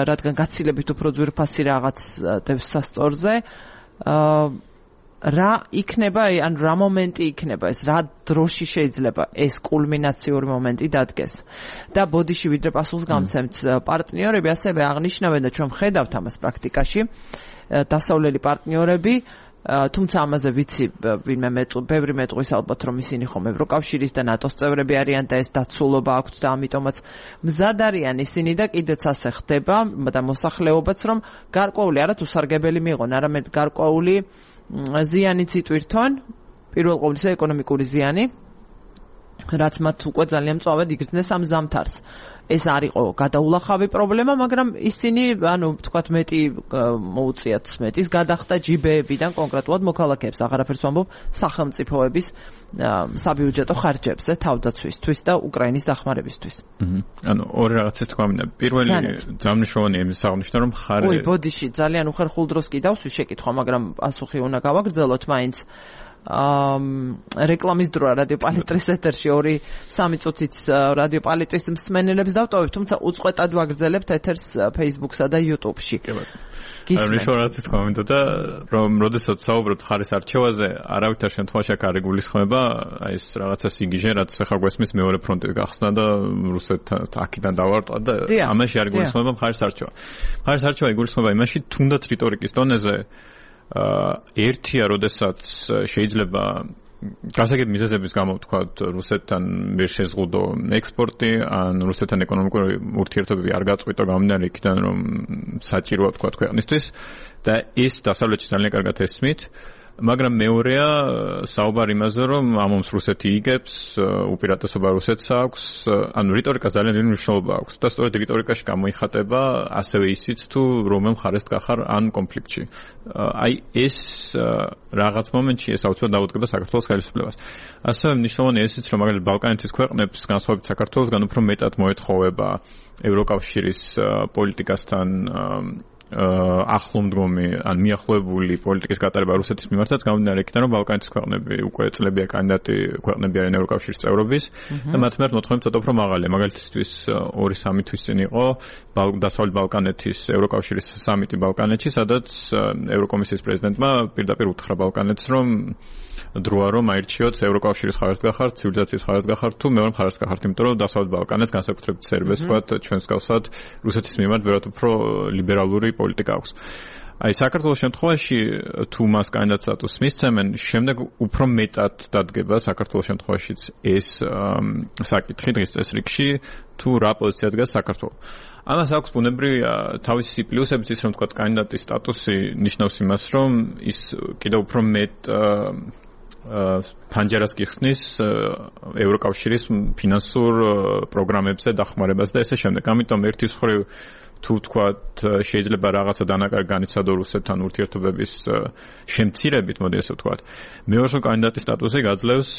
რადგან გაცილებით უფრო ძვირფასი რაღაც დევს სასწორზე. რა იქნება, ან რა მომენტი იქნება ეს, რა დროში შეიძლება ეს კულმინაციური მომენტი დადგეს. და ბოდიში ვიდრე პასუხს გამცემთ, პარტნიორები ასევე აღნიშნავენ და ჩვენ ხედავთ ამას პრაქტიკაში, დასავლელი პარტნიორები, თუმცა ამაზე ვიცი ბევრი მეტყვის ალბათ, რომ ისინი ხომ ევროკავშირის და ნატოს წევრები არიან და ეს დაცულობა აქვთ და ამიტომაც მზად არიან ისინი და კიდეც ასე ხდება და მოსახლეობაც, რომ გარკვეული არა თუ სარგებელი მიიღონ, არამედ გარკვეული ზიანიც იტვირთონ, პირველ ყოვლისა ეკონომიკური ზიანი, რაც მათ უკვე ძალიან მწვავედ იგრძნეს ამ ზამთარს. ეს არ იყო გადაულახავი პრობლემა, მაგრამ ისინი, ანუ ვთქვათ, მეტი მოუწიათ მეტის გადახდა ჯიბეებიდან კონკრეტულად მოქალაქეებს, აღარაფერს ვამბობ სახელმწიფოების საბიუჯეტო ხარჯებზე თავდაცვისთვის და უკრაინის დახმარებისთვის. ანუ ორი რაღაცის თქვა მინდა. პირველი ძამნიშოვანი იმის აღნიშნა, რომ ხარ ბოდიში ძალიან უხერხულ დროს კი დავსვი შეკითხვა, მაგრამ პასუხი უნდა გავაგრძელოთ მაინც. რეკლამის დროა რადიო პალიტრის ეთერში 2-3 წუთით რადიო პალიტრის მსმენელებს დავტოვებ, თუმცა უწყვეტად ვაგრძელებთ ეთერს Facebook-სა და YouTube-ში. გისმენთ. თქვა მინდა და რომ როდესაც საუბრობთ ხარის არჩევაზე, არავითარ შემთხვევაში აქ არ იგულისხმება აი ეს რაღაცა სიგიჟე, რაც ახლა გვესმის მეორე ფრონტი გახსნა და რუსეთს აქედან დავარტყა და ამაში არ იგულისხმება ხარის არჩევა. ხარის არჩევა იგულისხმება იმაში, თუნდაც რიტორიკის დონეზე ერთია, როდესაც შეიძლება გასაგებ მიზეზების გამო ვთქვათ, რუსეთთან ვერ შეზღუდო ექსპორტი, ან რუსეთთან ეკონომიკური ურთიერთობები არ გაწყვიტო გამომდინარე იქიდან, რომ საჭიროა ვთქვათ ქვეყნისთვის და ის დასავლეთში ძალიან კარგად ესმით. მაგრამ მეორეა საუბარი იმაზე, რომ ამომს რუსეთი იგებს, უპირატესობა რუსეთს აქვს, ანუ რიტორიკას ძალიან დიდი მნიშვნელობა აქვს და სწორედ რიტორიკაში გამოიხატება ასევე ისიც თუ რომელ მხარეს გახარ ან კონფლიქტში. აი ეს რაღაც მომენტში ეს აუცილებლად დაუდგება საქართველოს ხელისუფლებას. ასევე მნიშვნელოვანი ისიც, რომ მაგალითად ბალკანეთის ქვეყნებს განსხვავებით საქართველოსგან უფრო მეტად მოეთხოვება ევროკავშირის პოლიტიკასთან ახლომდგომი ან მიახლოებული პოლიტიკის გატარება რუსეთის მიმართაც გამომდინარე იქიდან, რომ ბალკანეთის ქვეყნები უკვე წლებია კანდიდატი ქვეყნები არიან ევროკავშირის წევრობის და მათ მიმართ მოთხოვნები ცოტა უფრო მაღალია. მაგალითისთვის 2-3 თვის წინ იყო დასავლეთ ბალკანეთის ევროკავშირის სამიტი ბალკანეთში, სადაც ევროკომისიის პრეზიდენტმა პირდაპირ უთხრა ბალკანეთს, რომ დროა რომ აირჩიოთ ევროკავშირის ხარეს გახართ, ცივილიზაციის ხარეს გახართ თუ მეორე ხარეს გახართ, იმიტომ რომ დასავლეთ ბალკანეთს განსაკუთრებით სერბიას ვთქვათ, ჩვენს გავსად რუსეთის მიმართ ბევრად უფრო ლიბერალური პოლიტიკა აქვს. აი საქართველოს შემთხვევაში თუ მას კანდიდატ სტატუსს მისცემენ, შემდეგ უფრო მეტად დადგება საქართველოს შემთხვევაშიც ეს საკითხი დღის წესრიგში, თუ რა პოზიცია დგას საქართველოს. ამას აქვს ბუნებრივი თავისი პლუსებიც ის, რომ თქვა კანდიდატის სტატუსი ნიშნავს იმას, რომ ის კიდევ უფრო მეტ ფანჯარას გიხსნის ევროკავშირის ფინანსურ პროგრამებზე დახმარებას და ესე შემდეგ. ამიტომ ერთის მხრივ თუ თქვათ შეიძლება რაღაცა დანაკარგი განიცადო რუსეთთან ურთიერთობების შემცირებით, მოდი ესე ვთქვათ. მეორე კანდიდატის სტატუსი გაძლევს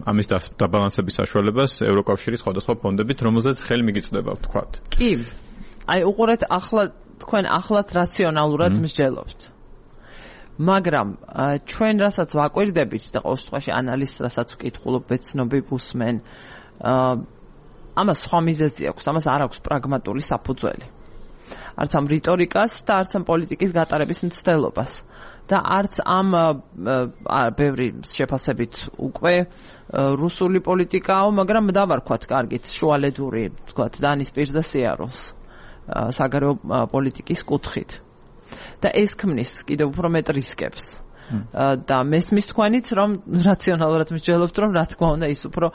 ამის დაბალანსების საშუალებას ევროკავშირის სხვადასხვა ფონდებით, რომელზეც ხელი მიგიწვდება, ვთქვათ. კი. აი უყურეთ ახლა თქვენ ახლაც რაციონალურად მსჯელობთ. მაგრამ ჩვენ რასაც ვაკვირდებით და ყოველ შემთხვევაში ანალიზს რასაც ვკითხულობ, ბეცნობი ვუსმენ, ამას სხვა მიზეზი აქვს, ამას არ აქვს პრაგმატული საფუძველი. არც ამ რიტორიკას და არც ამ პოლიტიკის გატარების მცდელობას. და არც ამ ბევრი შეფასებით უკვე რუსული პოლიტიკაო, მაგრამ დავარქვათ კარგით შუალედური, ვთქვათ, დანის პირზე სიაროს საგარეო პოლიტიკის კუთხით. და ეს ქმნის კიდევ უფრო მეტ რისკებს. და მესმის თქვენიც, რომ რაციონალურად მსჯელობთ, რომ რა თქმა უნდა ის უფრო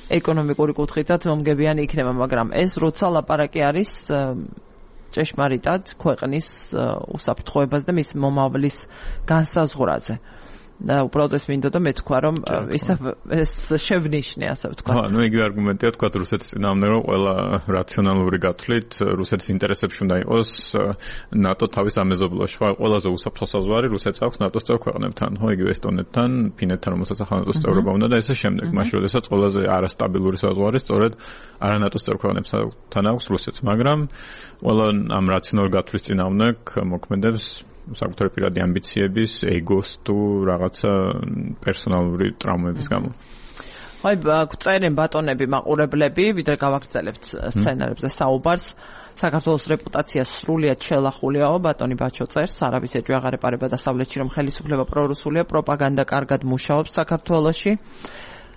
ეკონომიკური კუთხითაც მომგებიანი იქნება, მაგრამ ეს როცა ლაპარაკი არის ჭეშმარიტად ქვეყნის უსაფრთხოებას და მის მომავლის განსაზღვრაზე. და უბრალოდ ეს მინდოდა მე თქვა, რომ ეს შევნიშნე, ასე ვთქვა. ნუ იგივე არგუმენტია თქვა რუსეთის წინააღმდეგ, რომ ყველა რაციონალური გათვლით რუსეთის ინტერესებში უნდა იყოს ნატო თავის ამეზობლოში. ყველაზე უსაფრთხო საზღვარი რუსეთს აქვს ნატოს წევრ ქვეყნებთან, ხო, იგივე ესტონეთთან, ფინეთთან, რომელსაც ახლა ნატოს წევრობა უნდა და ესე შემდეგ. მაშინ როდესაც ყველაზე არასტაბილური საზღვარი სწორედ არა ნატოს წევრ ქვეყნებთან აქვს რუსეთს, მაგრამ ყველა ამ რაციონალური გათვლის წინააღმდეგ მოქმედებს საკუთარი პირადი ამბიციების, ეგოს თუ რაღაცა პერსონალური ტრაუმების გამო. აი, წერენ ბატონები, მაყურებლები, ვიდრე გავაგრძელებთ სცენარებზე საუბარს. საქართველოს რეპუტაცია სრულიად შელახულიაო, ბატონი ბაჩო წერს, არავის ეჭვი აღარ ეპარება დასავლეთში, რომ ხელისუფლება პრორუსულია, პროპაგანდა კარგად მუშაობს საქართველოში.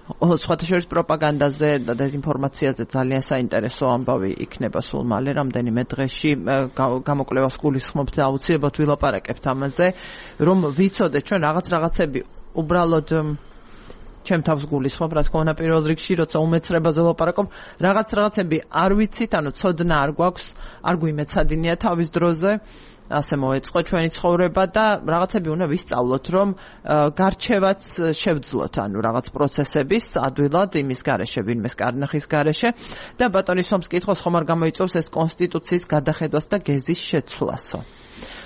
სხვათა შორის პროპაგანდაზე და დეзინფორმაციაზე ძალიან საინტერესო ამბავი იქნება სულ მალე რამდენიმე დღეში გამოკვლევას გულისხმობთ და აუცილებლად ვილაპარაკებთ ამაზე, რომ ვიცოდეთ ჩვენ რაღაცები უბრალოდ ჩემ თავს გულისხმობ, რა თქმა უნდა პირველ რიგში, როცა უმეცრებაზე ვლაპარაკობ, რაღაცები არ ვიცით, ანუ ცოდნა არ გვაქვს, არ გვიმეცადინია თავის დროზე. ასე მოეწყო ჩვენი ცხოვრება და რაღაცები უნდა ვისწავლოთ, რომ გარჩევაც შევძლოთ, ანუ რაღაც პროცესების ადვილად იმის გარეშე, ვინმეს კარნახის გარეშე და ბატონის სომს კითხოს ხომ არ გამოიწვევს ეს კონსტიტუციის გადახედვას და გეზის შეცვლასო.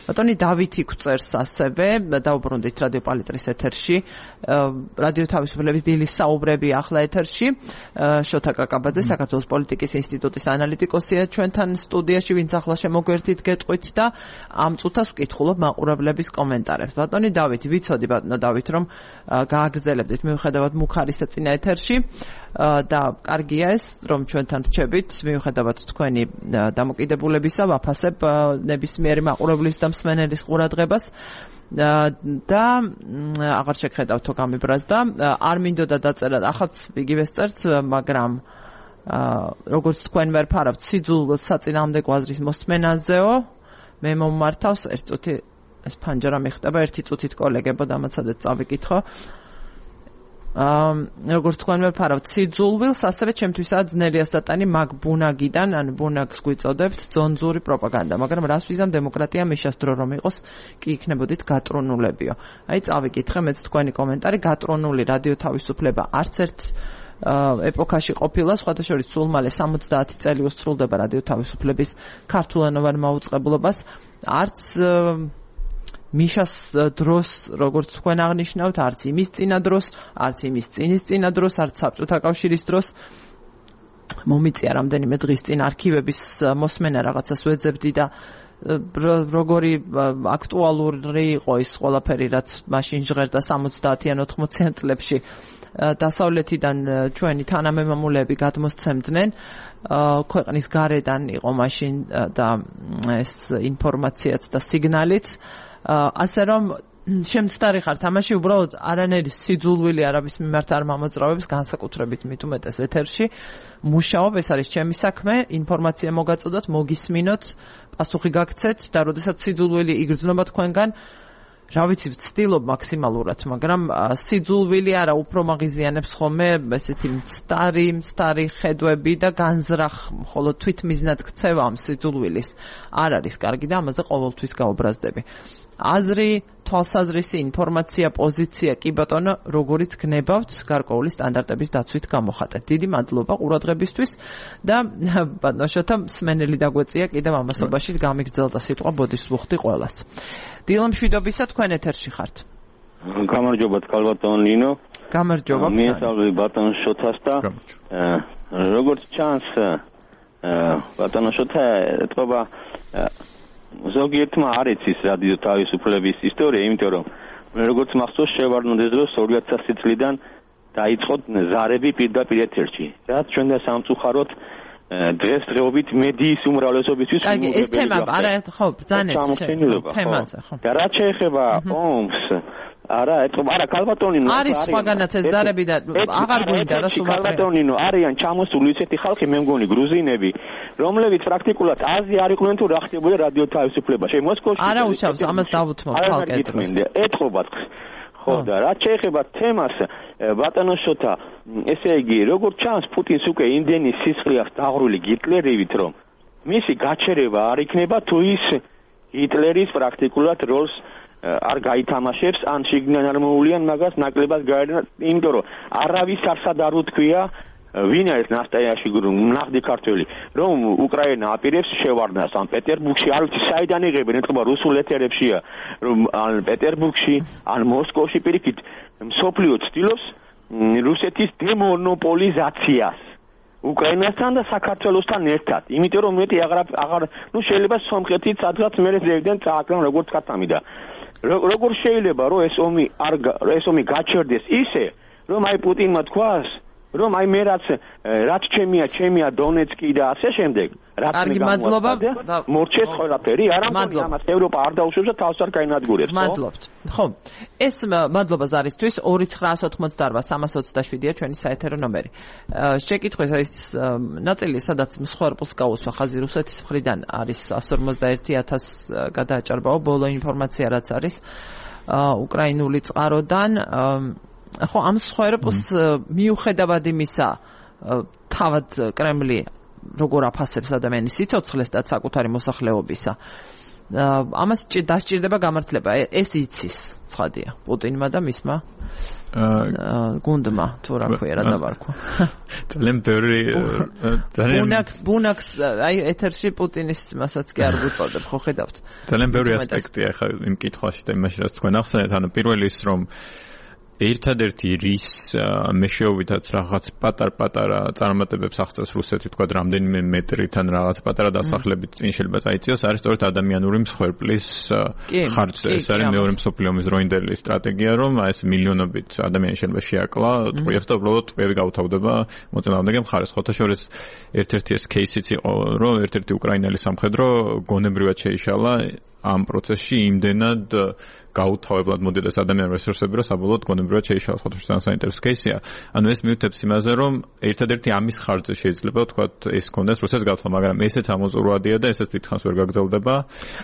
ბატონი დავითი გვწერს ასევე, დაუბრუნდით რადიო პალიტრის ეთერში, რადიო თავისუფლების დილის საუბრები ახლა ეთერში, შოთა კაკაბაძე, საქართველოს პოლიტიკის ინსტიტუტის ანალიტიკოსია ჩვენთან სტუდიაში, ვინც ახლა შემოგვერთით გეტყვით და ამ წუთას ვკითხულობ მაყურებლების კომენტარებს. ბატონი დავითი, ვიცოდი ბატონო დავით, რომ გააგრძელებდით მიუხედავად მუხარისა წინა ეთერში და კარგია ეს, რომ ჩვენთან რჩებით, მიუხედავად თქვენი დამოკიდებულებისა, ვაფასებ ნებისმიერი მაყურებლის და მსმენელის ყურადღებას და აღარ შეგხედავთო გამიბრაზ და არ მინდოდა დაწერა, ახაც იგივეს წერთ, მაგრამ როგორც თქვენ ვერ ფარავთ სიძულ საწინააღმდეგო აზრის მოსმენაზეო, მე მომმართავს ერთ წუთი ეს ფანჯარა მიხდება ერთი წუთით კოლეგებო დამაცადეთ წავიკითხო. როგორც თქვენ ვეფარავთ სიძულვილს, ასევე ჩემთვისაა ძნელია სტატანი მაგ ბუნაგიდან, ანუ ბუნაგს გვიწოდებთ ძონძური პროპაგანდა, მაგრამ რას ვიზამ დემოკრატია მიშას დრო რომ იყოს, კი იქნებოდით გატრონულებიო. აი წავიკითხე მეც თქვენი კომენტარი, გატრონული რადიო თავისუფლება არც ერთ ეპოქაში ყოფილა, სხვათა შორის სულ მალე 70 წელი უსრულდება რადიო თავისუფლების ქართულენოვან მაუწყებლობას, არც მიშას დროს, როგორც თქვენ აღნიშნავთ, არც იმის წინა დროს, არც იმის წინის წინა დროს, არც საბჭოთა კავშირის დროს. მომიწია რამდენიმე დღის წინ არქივების მოსმენა რაღაცას ვეძებდი და როგორი აქტუალური იყო ის ყველაფერი, რაც მაშინ ჟღერდა 70-იან 80-იან წლებში დასავლეთიდან ჩვენი თანამემამულეები გადმოსცემდნენ. ქვეყნის გარედან იყო მაშინ და ეს ინფორმაციაც და სიგნალიც. ასე რომ შემცდარი ხართ ამაში უბრალოდ არანაირი სიძულვილი არაბის მიმართ არ მომოძრავებს განსაკუთრებით მით უმეტეს ეთერში მუშაობ ეს არის ჩემი საქმე ინფორმაცია მოგაწოდოთ მოგისმინოთ პასუხი გაგცეთ და როდესაც სიძულვილი იგრძნობა თქვენგან რა ვიცი ვცდილობ მაქსიმალურად მაგრამ სიძულვილი არა უფრო მაგიზიანებს ხოლმე ესეთი მცდარი ხედვები და განზრახ მხოლოდ თვითმიზნად ქცევა ამ სიძულვილის არ არის კარგი და ამაზე ყოველთვის გაუბრაზდები აზრი, თვალსაზრისი, ინფორმაცია, პოზიცია, კი ბატონო, როგორიც გნებავთ გარკვეული სტანდარტების დაცვით გამოხატეთ. დიდი მადლობა ყურადღებისთვის და ბატონო შოთა მსმენელი დაგვეწია კიდევ ამასობაში გამიგრძელდა სიტყვა ბოდისლუხტი ყველას. დილომშვიდობისა თქვენ ეთერში ხართ. გამარჯობათ კალბატონ ნინო. გამარჯობა. მიესალმები ბატონ შოთას და როგორც ჩანს ბატონ შოთა ეთქობა ზოგიერთმა არ იცის რადიო თავისუფლების ისტორია, იმიტომ რომ როგორც მახსოვს შევარდნოდეს დროს 2000 წლიდან დაიწყო ზარები პირდაპირ ეთერში. რაც ჩვენ და სამწუხაროდ დღესდღეობით მედიის უმრავლესობისთვის კარგი, ეს თემა არა ხო ბრძანეთ თემაზე ხო. და რაც შეეხება ომს არა, არა კალბატონინო არის სხვაგანაც ეს ზარები და აღარ გვინდა და სულ კალბატონინო არიან ჩამოსული ისეთი ხალხი მე მგონი გრუზინები რომლებიც პრაქტიკულად აზრი არ იყვნენ თუ რა ხდებოდა რადიო თავისუფლებაში მოსკოვში არა უშავს ამას დავუთმობ ხალხი ეთყობათ ხო და რაც შეეხება თემას ბატონო შოთა ესე იგი როგორც ჩანს პუტინს უკვე იმდენი სისხლი აქვს დაღრული ჰიტლერივით რომ მისი გაჩერება არ იქნება თუ ის ჰიტლერის პრაქტიკულად როლს არ გაითამაშებს ან შიგნიდან არ მოულიან მაგას ნაკლებად გაერნა იმიტომ რომ არავის არსად არ უთქვია ვინ არის ნასტაიაში ნახდი ქართველი რომ უკრაინა აპირებს შევარდნას ან პეტერბურგში არ ვიცი საიდან იღებენ ეთქობა რუსულ ეთერებშია რომ ან პეტერბურგში ან მოსკოვში პირიქით მსოფლიო ცდილობს რუსეთის დემონოპოლიზაციას უკრაინასთან და საქართველოსთან ერთად იმიტომ რომ მეტი აღარ ნუ შეიძლება სომხეთიც სადღაც მე ზევიდან წააკრან როგორც კატამიდა როგორ შეიძლება რომ ეს ომი გაჩერდეს ისე რომ აი პუტინმა თქვას რომ აი მე რაც ჩემია დონეცკი და ასე შემდეგ რაც კარგი მადლობა მორჩეს ყველაფერი არამედ ამას ევროპა არ დაუშვებს და თავს არ გაინადგურებს მადლობთ ხო ეს მადლობა ზარისთვის 2988-327-ია ჩვენი საეთერო ნომერი შეკითხვის არის ნაწილი სადაც მსხვერპლს გაუსვა ხაზი რუსეთის მხრიდან არის 151,000 გადააჭარბაო ბოლო ინფორმაცია რაც არის უკრაინული წყაროდან ხო ამ სხვაერპლს მიუხედავად იმისა თავად კრემლი როგორ აფასებს ადამიანის სიცოცხლეს და საკუთარი მოსახლეობისა ამას დასჭირდება გამართლება ეს იცის ცხადია პუტინმა და მისმა გუნდმა თუ რა ქვია რა დავარქვა ძალიან ბევრი ბუნაქს აი ეთერში პუტინის მასაც კი არ გვწოდებ ხო ხედავთ ძალიან ბევრი ასპექტია ხა იმ კითხვაში და იმაში რაც თქვენ ახსენეთ ანუ პირველი ის რომ ერთადერთი რის მეშვეობითაც რაღაც პატარ-პატარა წარმატებებს აღწევს რუსეთი თქვა რამდენიმე მეტრიდან რაღაც პატარა დასახლებით წინ შეიძლება წაიწიოს არის სწორედ ადამიანური მსხვერპლის ხარჯზე ეს არის მეორე მსოფლიო ომის დროინდელი სტრატეგია რომ ეს მილიონობით ადამიანი შეიძლება შეაკლა ტყვიებს და უბრალოდ ტყვიები გაუთავდება მოწინააღმდეგე მხარეს ხოთა შორის ერთ-ერთი ეს кейსიც იყო რომ ერთ-ერთი უკრაინელი სამხედრო გონებრივად შეიშალა ამ პროცესში იმდენად გაუთავებლად მოდიდეს ადამიანურ რესურსები, რომ საბოლოოდ გონებრივად შეიშალა ხოთუშთან საინტერესო кейსია. ანუ ეს მიუთებს იმაზე, რომ ერთადერთი ამის ხარჯზე შეიძლება ვთქვათ ეს კონდეს რუსეთს გათვლა, მაგრამ ესეც ამოწურვადია და ესეც დიდხანს ვერ გაგრძელდება.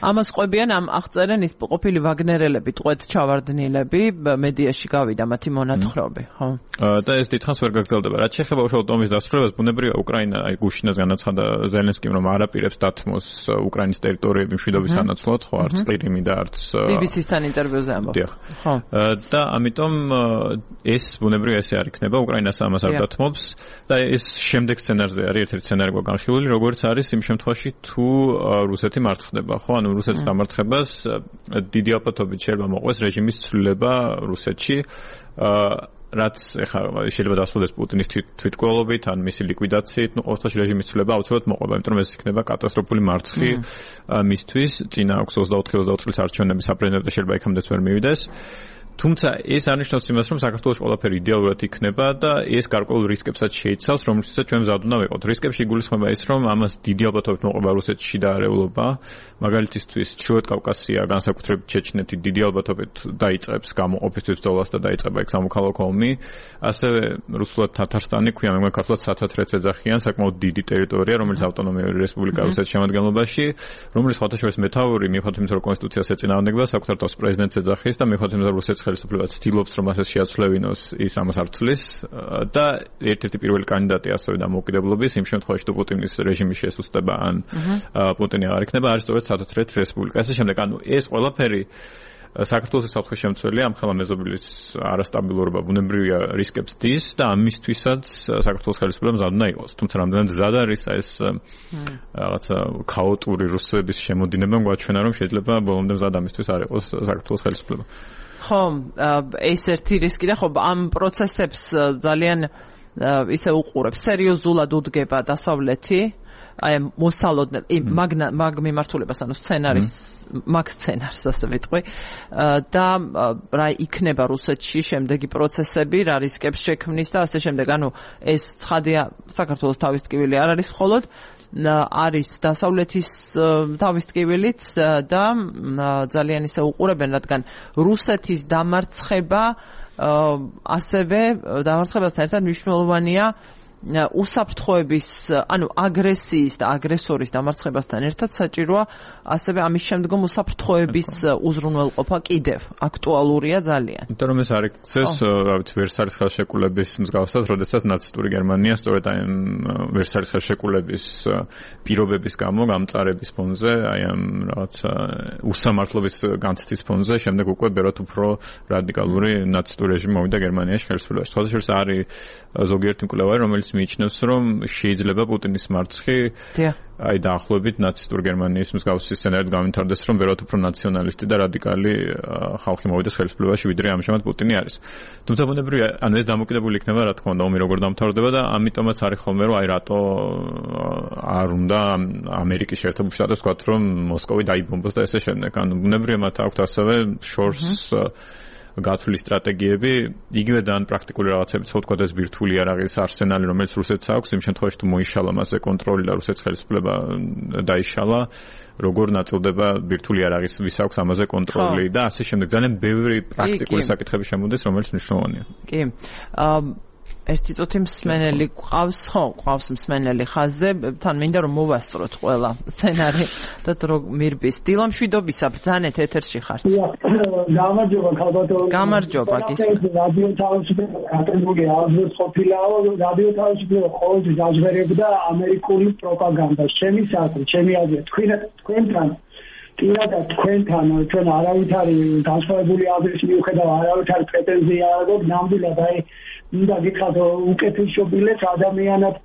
ამას ყვებიან ამ აღწერენ ის ყოფილი ვაგნერელები, ტყვედ ჩავარდნილები, მედიაში გავიდა მათი მონათხრობი, ხო? და ეს დიდხანს ვერ გაგრძელდება. რაც შეეხება უშუალოდ ომის დასრულებას, ბუნებრივია უკრაინა, აი გუშინაც განაცხადა ზელენსკიმ, რომ არ აპირებს დათმოს უკრაინის ტერიტორიები მშვიდობის სანაცვლოდ, ხო, არც ყირიმი და არც BBC-თან ინტერვიუზე ამბობ. ხო. და ამიტომ ეს ბუნებრივია ესე არ იქნება, უკრაინას ამას არ დათმობს და ეს შემდეგ სცენარზე არის ერთ-ერთი სცენარი განხილული, როგორც არის იმ შემთხვევაში თუ რუსეთი მარცხდება, ხო? ანუ რუსეთის დამარცხებას დიდი ალბათობით შეიძლება მოყვეს რეჟიმის ცვლილება რუსეთში. რაც ეხლა შეიძლება დასრულდეს პუტინის თვითმკვლელობით ან მისი ლიკვიდაციით, ну ყოველთვის რეჟიმის ცვლილება აუცილებლად მოყვება, იმიტომ რომ ეს იქნება კატასტროფული მარცხი მისთვის. წინა აქვს 24 წლის არჩევნების საპრეზიდენტო შეიძლება იქამდეც ვერ მივიდეს. თუმცა ეს არნიშნავს იმას, რომ საქართველოს ყველაფერი იდეალურად იქნება და ეს გარკვეულ რისკებსაც შეიცავს, რომლითაც ჩვენ მზად უნდა ვიყოთ. რისკებში იგულისხმება ის, რომ ამას დიდი ალბათობით მოყვება რუსეთში და არეულობა. მაგალითისთვის, ჩრდილოეთ კავკასია, განსაკუთრებით ჩეჩნეთი დიდი ალბათობით დაიწყებს გამოყოფისთვის ბრძოლას და დაიწყება იქ სამოქალაქო ომი. ასევე რუსულად თათარსტანი, ქვია მე ქართულად სათათრეც ეძახიან, საკმაოდ დიდი ტერიტორია, რომელიც ავტონომიური რესპუბლიკა რუსეთის შემადგენლობაში, რომელიც ხათაშორის მეთაური მიუხედავად იმისა, რომ კონსტიტუციას ეწინააღმდეგება, საკუთარ თავს პრეზიდენტს ეძახის და მიუხედავად იმისა, რომ რუსეთის ხელისუფლება ცდილობს, რომ ასე შეაცვლევინოს, ის ამას არ ცვლის და ერთ-ერთი პირველი კანდიდატი ასევე დამოუკიდებლობის იმ შემთხვევაში, თუ პუტინის რეჟიმი შესუსტება ან პუტინი აღარ იქნება, არის სწორედ სათათრეთ რესპუბლიკა. ასე შემდეგ, ანუ ეს ყველაფერი საქართველოს საფრთხის შემცველია, ამ ხელა მეზობლის არასტაბილურობა ბუნებრივია რისკებს დის და ამისთვისაც საქართველოს ხელისუფლება მზად უნდა იყოს. თუმცა რამდენად მზად არის ეს რაღაცა ქაოტური რუსების შემოდინება, გვაჩვენა, რომ შეიძლება ბოლომდე მზად ამისთვის არ იყოს საქართველოს ხელისუფლება. ხო, ეს ერთი რისკი და ხო ამ პროცესებს ძალიან ისე უყურებს, სერიოზულად უდგება დასავლეთი, აი მოსალოდნელ მაგ მიმართულებას, ანუ სცენარის მაგ სცენარს ასე ვიტყვი და რა იქნება რუსეთში შემდეგი პროცესები, რა რისკებს შექმნის და ასე შემდეგ. ანუ ეს ცხადია, საქართველოს თავის ტკივილი არ არის მხოლოდ, არის დასავლეთის თავის ტკივილიც და ძალიან ისე უყურებენ, რადგან რუსეთის დამარცხება ასევე დამარცხებასთან ერთად მნიშვნელოვანია უსაფრთხოების, ანუ აგრესიის და აგრესორის დამარცხებასთან ერთად საჭიროა ასევე ამის შემდგომ უსაფრთხოების უზრუნველყოფა კიდევ აქტუალურია ძალიან. იმიტომ რომ ეს არ იქცეს, რა ვიცი, ვერსალის ხელშეკრულების მსგავსად, როდესაც ნაცისტური გერმანია სწორედ აი ვერსალის ხელშეკრულების პირობების გამო გამწარების ფონზე, აი ამ რაღაცა უსამართლობის განცდის ფონზე, შემდეგ უკვე ბევრად უფრო რადიკალური ნაცისტური რეჟიმი მოვიდა გერმანიაში ხელისუფლებაში. თვალსაჩინო არის ზოგიერთი მკვლევარი, რომელიც მიიჩნევს, რომ შეიძლება პუტინის მარცხი აი დაახლოებით ნაცისტურ გერმანიის მსგავსი სცენარით გამვითარდეს, რომ ბევრად უფრო ნაციონალისტი და რადიკალი ხალხი მოვიდეს ხელისუფლებაში, ვიდრე ამჟამად პუტინი არის. თუმცა ბუნებრივია, ანუ ეს დამოკიდებული იქნება, რა თქმა უნდა, ომი როგორ დამთავრდება და ამიტომაც არის ხოლმე, რომ აი რატო არ უნდა ამერიკის შეერთებული შტატებს ვთქვათ, რომ მოსკოვი დაიბომბოს და ესე შემდეგ. ანუ ბუნებრივია, მათ აქვთ ასევე შორს გათვლის სტრატეგიები, იგივე და ან პრაქტიკული რაღაცები, თქო ეს ბირთვული არაღის არსენალი, რომელიც რუსეთს აქვს, იმ შემთხვევაში თუ მოიშალა მასზე კონტროლი და რუსეთის ხელისუფლება დაიშალა, როგორ ნაწილდება ბირთვული არაღის ვის აქვს ამაზე კონტროლი და ასე შემდეგ. ძალიან ბევრი პრაქტიკული საკითხები შემოდის, რომელიც მნიშვნელოვანია. კი. ერთი წუთი მსმენელი ყავს, ხო, ყავს მსმენელი ხაზზე, თან მინდა რომ მოვასწროთ ყველა სცენარი და დრო მირბის. დილამშვიდობისა, ბრძანეთ ეთერში ხართ. გამარჯობა, ქალბატონო. გამარჯობა, გისმენთ. რადიო თავისუფლება კატეგორია აღზრდს ყოფილაო, რადიო თავისუფლება ყოველთვის აჟღერებდა ამერიკული პროპაგანდას. ჩემი საკითხი, ჩემი აზრი, თქვენთან პირადად თქვენთან ჩვენ არავითარი განსხვავებული აზრის მიუხედავად არავითარი პრეტენზია არ აქვს, ნამდვილად აი მინდა გითხრათ უკეთესობილეს ადამიანად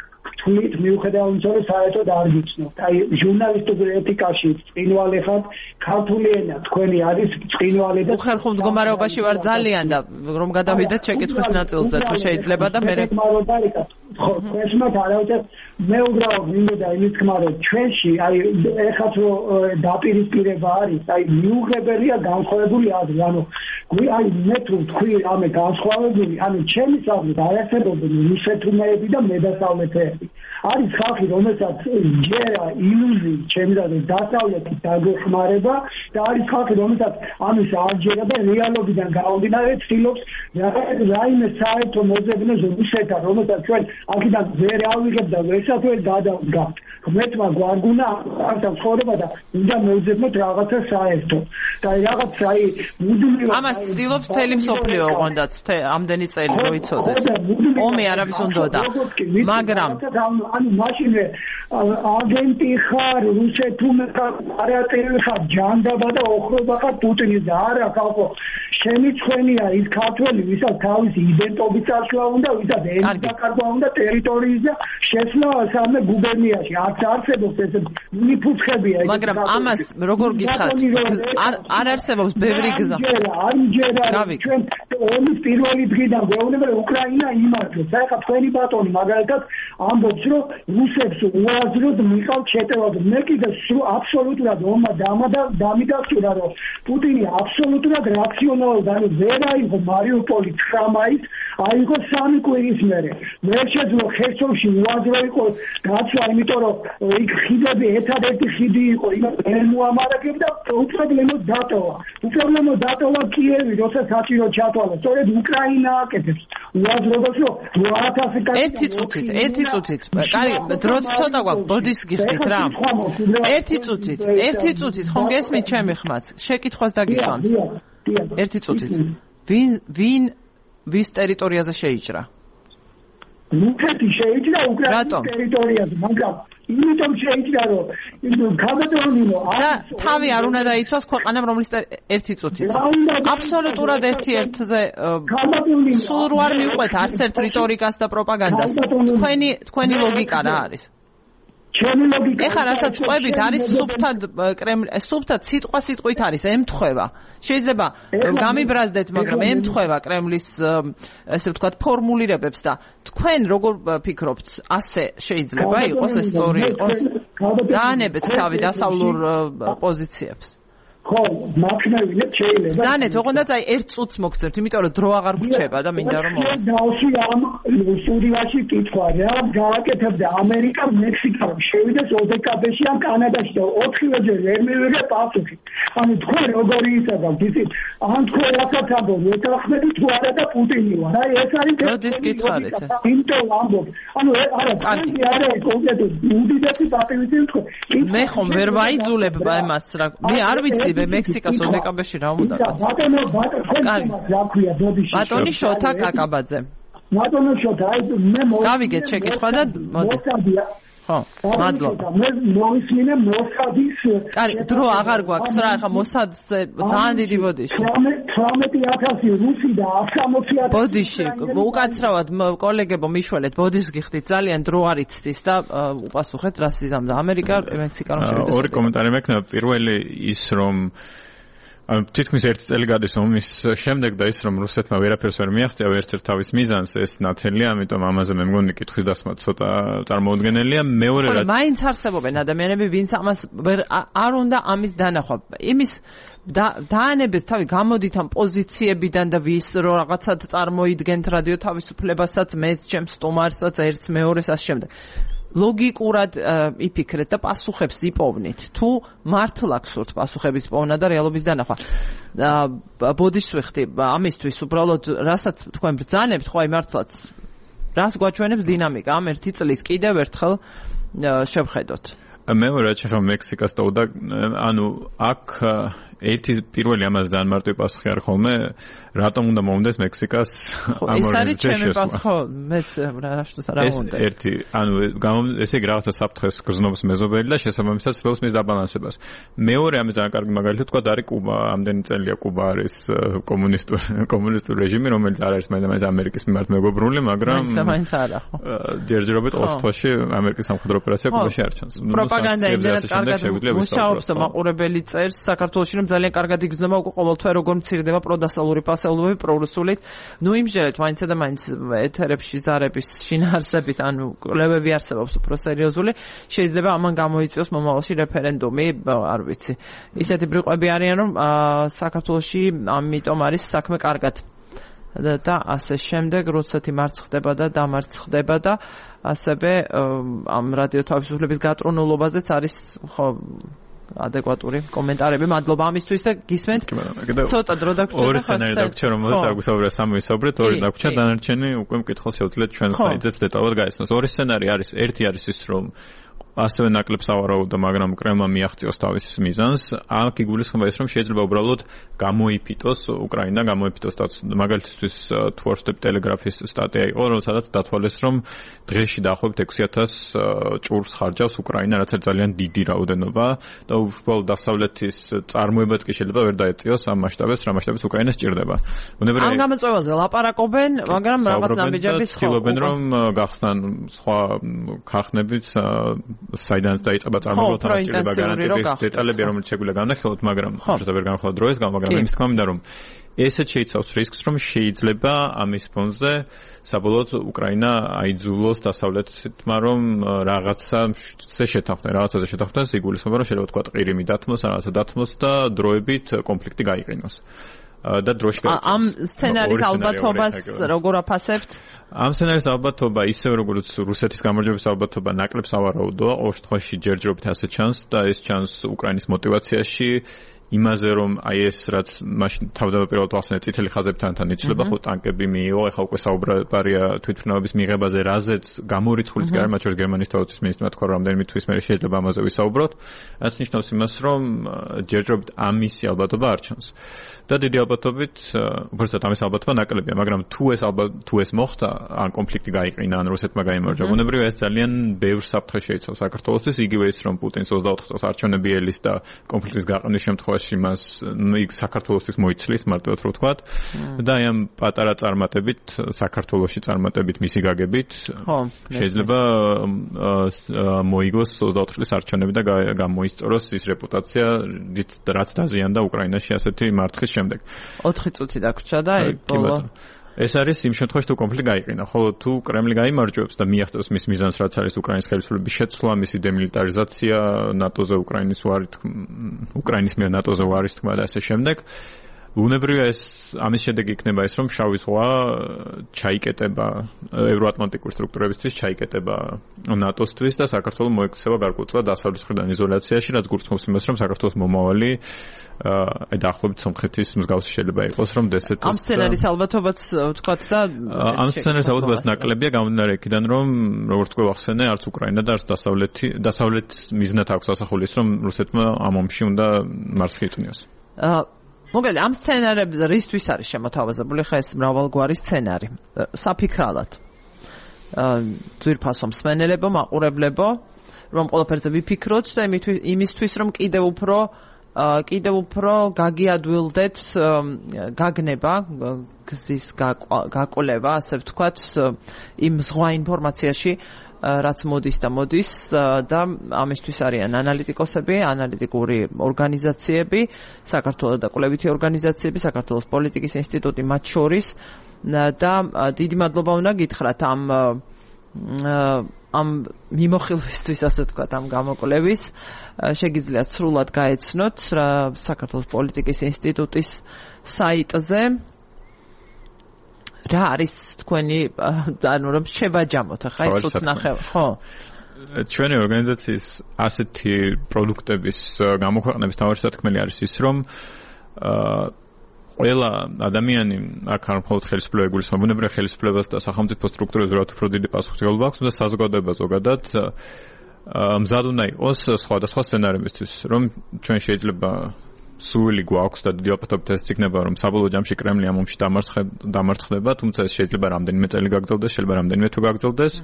თვლით მიუხედავად იმისა, რომ საერთოდ არ გიცნობთ. აი ჟურნალისტურ ეთიკაში წინვალე ხართ, ქართული ენა თქვენი არის წინვალე და უხერხულ მდგომარეობაში ვარ ძალიან და რომ გადავიდეთ შეკითხვის ნაწილზე თუ შეიძლება და მე ხო, ესმათ არავითარ მე უბრალოდ მინდოდა იმის თქმა, რომ ჩვენში აი ეხაც რომ დაპირისპირება არის, აი მიუღებელია განსხვავებული აზრი, ანუ აი მე თუ თქვი ამე განსხვავებული, ანუ ჩემი აზრით არ არსებობენ რუსეთუნეები და მედასავლეთეები. არის ხალხი, რომელსაც ჯერა ილუზიით, ჩემი აზრით, დასავლეთის დაგეხმარება და არის ხალხი, რომელსაც ამის არ ჯერა და რეალობიდან გამომდინარე ცდილობს რაიმე საერთო მოძებნეს რუსეთთან, რომელსაც ჩვენ აქედან ვერ ავიღებთ და ვერასდროს გადავდგავთ. ღმერთმა გვარგუნა ამ ცხოვრება და უნდა მოვძებნოთ რაღაცა საერთო. და რაღაც მუდმივად ამას ცდილობს მთელი მსოფლიო ოღონდაც ამდენი წელი რო იცოდეთ. ომი არავის უნდოდა. მაგრამ ანუ მაშინვე აგენტი ხარ, რუსეთუმე ხარ, არატერი ხარ, ჯანდაბა და ოხრობა ხარ პუტინის და არა ხალხო. შენი ცხენია ის ქართველი, ვისაც თავისი იდენტობის წაშლა უნდა, ვისაც ენის დაკარგვა უნდა ტერიტორიის და შესვლა სამე გუბერნიაში. არც არსებობს ეს მიფუცხებია. მაგრამ ამას როგორ გიხართ? არ არსებობს ბევრი გზა. არ მჯერა ჩვენ ომის პირველი დღიდან გვეუბნება რომ უკრაინა იმართოს. ახლა თქვენი ბატონი მაგალითად ამბობს რომ რუსებს უაზროდ მიყავთ შეტევა. მე კიდე აბსოლუტურად ომმა დამიდასტურა რომ პუტინი აბსოლუტურად რაციონალურად ანუ ვერ აიღო მარიუპოლი 9 მაისს, აიღო 3 კვირის მერე. ვერ შეძლო ხერსონში უაზრო იყო გაცვლა, იმიტომ რომ იქ ხიდები ერთადერთი ხიდი იყო, იმას ვერ მოამარაგებდა და უპრობლემოდ დატოვა. უპრობლემოდ დატოვა კიევი, როცა საჭირო ჩათვალა. სწორედ უკრაინა აკეთებს უაზრობას, რომ 8000 ერთი წუთით. კარი, დროც ცოტა გვაქვს, ბოდის გიხდით რა. ერთი წუთით, ხომ გესმით ჩემი ხმაც? შეკითხვას დაგისვამთ. ერთი წუთით. ვინ ვის ტერიტორიაზე შეიჭრა? რუსეთი შეიჭრა უკრაინის ტერიტორიაზე, მაგრამ იმიტომ შეიჭრა რომ გამოდონილო და თავი არ უნდა დაიცვას ქვეყანამ რომლის ერთი წუთით. აბსოლუტურად ერთ-ერთზე სულ არ მიუყვეთ არც ერთ რიტორიკას და პროპაგანდას. თქვენი ლოგიკა რა არის? ჩემი ლოგიკა ეხლა რასაც ყვებით არის სუფთად სიტყვით არის ემთხვევა. შეიძლება გამიბრაზდეთ, მაგრამ ემთხვევა კრემლის ესე ვთქვათ ფორმულირებებს და თქვენ როგორ ფიქრობთ, ასე შეიძლება იყოს ეს სწორი იყოს? დაანებეთ თავი დასავლურ პოზიციებს. ხო, მაქმევინეთ შეიძლება. ზანეთ, ოღონდაც აი 1 წუთს მოგცემთ, იმიტომ რომ დრო აღარ გრჩება და მინდა რომ მოვას. დავში ამ სტუდიაში კითხვა რა გააკეთებდა ამერიკა მექსიკა შევიდეს ოდეკაბეში ან კანადაში და 4-ვეჯერ ვერ მივიღე პასუხი. ანუ თქვენ როგორი ისაგავთ იცით? ან თქვენ რასაც ამბობთ, ეთანხმები თუ არა და პუტინი ვარ. აი ეს არის როდის კითხავთ? იმიტომ ამბობ. ანუ არა, არა კონკრეტულად უდიდესი პატივი თქვენ. მე ხომ ვერ ვაიძულებ ამას რა. მე არ ვიცი მექსიკას ოდეკაბეში რა უნდა გაცნო. ბატონი შოთა კაკაბაძე. ბატონო შოთა, აი მე გავიგეთ შეკითხვა და მოდი. ხო, მადლობა. მე მოვისმინე მოსადის. კარი, დრო აღარ გვაქვს რა, ახლა მოსადზე ძალიან დიდი ბოდიში. 18000 რუსი და 160,000. ბოდიში, უკაცრავად კოლეგებო მიშველეთ, ბოდის გიხდით, ძალიან დრო არ იცდის და უპასუხეთ რა სიზამდა ამერიკა, მექსიკა რომ შევიდეს. ორი კომენტარი მექნება. პირველი ის რომ თითქმის 1 წელი გადის ომის შემდეგ და ის რომ რუსეთმა ვერაფერს ვერ მიაღწია ერთ-ერთ თავის მიზანს ეს ნათელია, ამიტომ ამაზე მე მგონი კითხვის დასმა ცოტა წარმოუდგენელია. მეორე რა მაინც არსებობენ ადამიანები, ვინც ამას არ უნდა ამის დანახვა. იმის დაანებეთ თავი, გამოდით ამ პოზიციებიდან და ვის რო რაღაცად წარმოიდგენთ რადიო თავისუფლებასაც, მეც ჩემს სტუმარსაც, ერთს მეორეს ასე შემდეგ. ლოგიკურად იფიქრეთ და პასუხებს იპოვნით. თუ მართლა გსურთ პასუხების პოვნა და რეალობის დანახვა. ბოდიშს ვიხდი ამისთვის უბრალოდ რასაც თქვენ ბრძანებთ, ხო აი მართლაც რას გვაჩვენებს დინამიკა ამ 1 წლის კიდევ ერთხელ შევხედოთ. მეორე რა მექსიკას და ანუ აქ ერთი პირველი ამას ძალიან მარტივი პასუხი არ ხოლმე, რატომ უნდა მომდეს მექსიკას ამ ეს არის ჩემი პასუხი, ხო, მეც რა უნდა. ერთი, ანუ ესე იგი რაღაცა საფრთხეს გრძნობს მეზობელი და შესაბამისად ცდილობს მის დაბალანსებას. მეორე ამის ძალიან კარგი მაგალითი თქვა არის კუბა, ამდენი წელია კუბა არის კომუნისტური რეჟიმი, რომელიც არ არის მაინც ამერიკის მიმართ მეგობრული, მაგრამ მაინც არა, ხო. ჯერჯერობით ყოველ შემთხვევაში ამერიკის სამხედრო ოპერაცია კუბაში არ ჩანს. პროპაგანდა იმდენად კარგად მუშაობს და მაყურებელი წერს საქართველოში რომ ძალიან კარგად იგრძნობა უკვე ყოველთვე როგორ მცირდება პროდასალური პასეულობები პრორუსულით. ნუ იმჟერეთ მაინცსა და მაინც ეთერებში ზარების შინაარსებით, ანუ კვლევები არსებობს უფრო სერიოზული. შეიძლება ამან გამოიწვიოს მომავალში რეფერენდუმი, არ ვიცი. ისეთი ბრიყვები არიან რომ საქართველოში ამიტომ არის საქმე კარგად. და ასე შემდეგ, როდესაც იმარცხდება და დამარცხდება და ასევე ამ რადიო თავისუფლების გატრორულობაზეც არის ხო ადეკვატური კომენტარები. მადლობა ამისთვის და გისმენთ. ცოტა დრო დაგვრჩა. ორი სცენარი დაგვრჩა, რომელზეც აგვისაუბრა სამივისაუბრეთ, ორი დაგვრჩა, დანარჩენი უკვე მკითხელს შეუძლიათ ჩვენ საიტზეც დეტალურად გაიცნოს. ორი სცენარი არის, ერთი არის ის, რომ ასევე ნაკლებს ავარაუდა, მაგრამ კრემლმა მიაღწიოს თავის მიზანს. აქ იგულისხმება ის, რომ შეიძლება უბრალოდ გამოიფიტოს უკრაინა, გამოიფიტოს მაგალითისთვის თუ არ ვთქვი ტელეგრაფის სტატია იყო, სადაც დათვალეს, რომ დღეში დაახლოებით 6,000 ჭურვს ხარჯავს უკრაინა, რაც ძალიან დიდი რაოდენობა და უბრალოდ დასავლეთის წარმოებაც კი შეიძლება ვერ დაეწიოს ამ მასშტაბებს, რა მასშტაბებს უკრაინა სჭირდება. ამ გამოწვევაზე ლაპარაკობენ, მაგრამ რაღაც ნაბიჯების ცდილობენ, რომ გახსნან სხვა ქარხნებიც საიდან დაიწყება წარმოება თან შეიძლება გარანტირდეს დეტალები რომელიც შეგვიძლია განახილოთ მაგრამ შეიძლება ვერ განახილოთ დროის გამო მაგრამ იმის თქმა მინდა რომ ესეც შეიცავს რისკს რომ შეიძლება ამის ფონზე საბოლოოდ უკრაინა აიძულოს დასავლეთმა რომ რაღაცაზე შეთანხმდეს იგულისხმება რომ შეიძლება თქვა ყირიმი დათმოს რაღაცა დათმოს და დროებით კონფლიქტი გაიყინოს და დროში გაიწევს. ამ სცენარის ალბათობას როგორ აფასებთ? ამ სცენარის ალბათობა ისევ როგორც რუსეთის გამარჯვების ალბათობა ნაკლებს ავარაუდოა, ორ შემთხვევაში ჯერჯერობით ასე ჩანს და ეს ჩანს უკრაინის мотиваციაში იმაზე რომ აი ეს რაც მაშინ თავდაპირველად ახსენე წითელი ხაზებთან იცლება ხო ტანკები მიიღო, ეხლა უკვე საუბარია თვითმფრინავების მიღებაზე, რაზეც გამორიცხულიც კი არ მათ შორის გერმანიის თავდაცვის მინისტრმა თქვა რომ რამდენიმე თვის მერე შეიძლება ამაზე ვისაუბროთ. რაც ნიშნავს იმას რომ ჯერჯერობით ამისი ალბათობა არ ჩანს. და დიდი ალბათობით, უბრალოდ ამის ალბათობა ნაკლებია, მაგრამ თუ ეს მოხდა, ან კონფლიქტი გაიყინა, ან რუსეთმა გაიმარჯვა, ბუნებრივია ეს ძალიან ბევრ საფრთხეს შეიცავს საქართველოსთვის, იგივე ის რომ პუტინს 24 წელს არჩევნები ელის და კონფლიქტის გაყენვის შემთხვევაში მას იქ საქართველოსთვის მოიცლის, მარტივად რო ვთქვათ. და აი ამ პატარა წარმატებით, საქართველოში წარმატებით მისი გაგებით, შეიძლება მოიგოს 24 წლის არჩევნები და გამოისწოროს ის რეპუტაცია, რაც დაზიანდა უკრაინაში ასეთი მარცხის შემდეგ. 4 წუთი დაგვრჩა და ბოლო ეს არის იმ შემთხვევაში თუ კონფლიქტი გაიყინა, ხოლო თუ კრემლი გაიმარჯვებს და მიაღწევს მის მიზანს, რაც არის უკრაინის ხელისუფლების შეცვლა, მისი დემილიტარიზაცია, ნატოზე უკრაინის მიერ ნატოზე ვარის თქმა და ასე შემდეგ. ბუნებრივია ეს ამის შედეგი იქნება ის რომ შავი ზღვა ჩაიკეტება ევროატლანტიკური სტრუქტურებისთვის, ჩაიკეტება ნატოსთვის და საქართველოს მოექცევა გარკვეულწილად დასავლეთის მხრიდან იზოლაციაში, რაც გულისხმობს იმას რომ საქართველოს მომავალი დაახლოებით სომხეთის მსგავსი შეიძლება იყოს რომ დსთ-ს ამ სცენარის ალბათობაც ვთქვათ და ამ სცენარის ალბათობაც ნაკლებია გამომდინარე იქიდან რომ როგორც თქვი ახსენე არც უკრაინა და არც დასავლეთ მიზნად აქვს ასახული ის რომ რუსეთმა ამ ომში უნდა მარცხი იწვნიოს. მოგელი ამ სცენარებზე რისთვის არის შემოთავაზებული ხა ეს მრავალგვარი სცენარი საფიქრალად ძვირფასო მსმენელებო მაყურებლებო რომ ყველაფერზე ვიფიქროთ და იმისთვის რომ კიდევ უფრო გაგიადვილდეთ გაგნება გზის გაკვლევა ასე ვთქვათ იმ ზღვა ინფორმაციაში რაც მოდის და ამისთვის არიან ანალიტიკოსები, ანალიტიკური ორგანიზაციები, საქართველოს და კვლევითი ორგანიზაციები, საქართველოს პოლიტიკის ინსტიტუტი მათ შორის და დიდი მადლობა უნდა გითხრათ ამ მიმოხილვისთვის ასე ვთქვათ, ამ გამოკვლევის შეგიძლიათ სრულად გაეცნოთ საქართველოს პოლიტიკის ინსტიტუტის საიტზე. რა არის თქვენი ანუ რომ შევაჯამოთ ახლა ცოტა ნახე ხო ჩვენი ორგანიზაციის ასეთი პროდუქტების გამოქვეყნების თავი სათქმელი არის ის რომ ყველა ადამიანი აქ არ მხოლოდ ხელისუფლება ეგულისხმება ბუნებრივია ხელისუფლებას და სახელმწიფო სტრუქტურებს რაც უფრო დიდი პასუხისმგებლობა აქვს და საზოგადოება ზოგადად მზად უნდა იყოს სხვადასხვა სცენარებისთვის რომ ჩვენ შეიძლება სული გვაქვს და დიდი ალბათობით ეს იქნება რომ საბოლოო ჯამში კრემლი ამ ომში დამარცხდება, თუმცა ეს შეიძლება რამდენიმე წელი გაგრძელდეს, შეიძლება რამდენიმე თუ გაგრძელდეს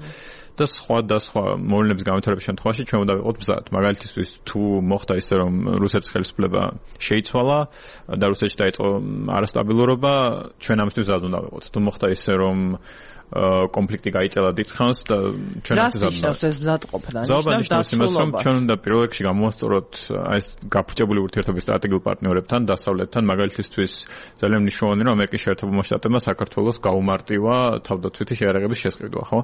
და სხვა მოვლენების განვითარების შემთხვევაში ჩვენ უნდა ვიყოთ მზად. მაგალითისთვის თუ მოხდა ისე რომ რუსეთის ხელისუფლება შეიცვალა და რუსეთში დაიწყო არასტაბილურობა, ჩვენ ამისთვის მზად უნდა ვიყოთ. თუ მოხდა ისე რომ კონფლიქტი გაიწელა დიდხანს და ჩვენ ამას ეს მზადყოფნა ნიშნავს იმას რომ ჩვენ უნდა პირველ რიგში გამოვასწოროთ ეს გაფუჭებული ურთიერთობის სტრატეგიულ პარტნიორებთან დასავლეთთან მაგალითისთვის ძალიან მნიშვნელოვანია რომ ამერიკის შეერთებულმა შტატებმა საქართველოს გაუმარტივა თავდაცვითი შეერაღების შესყიდვა ხო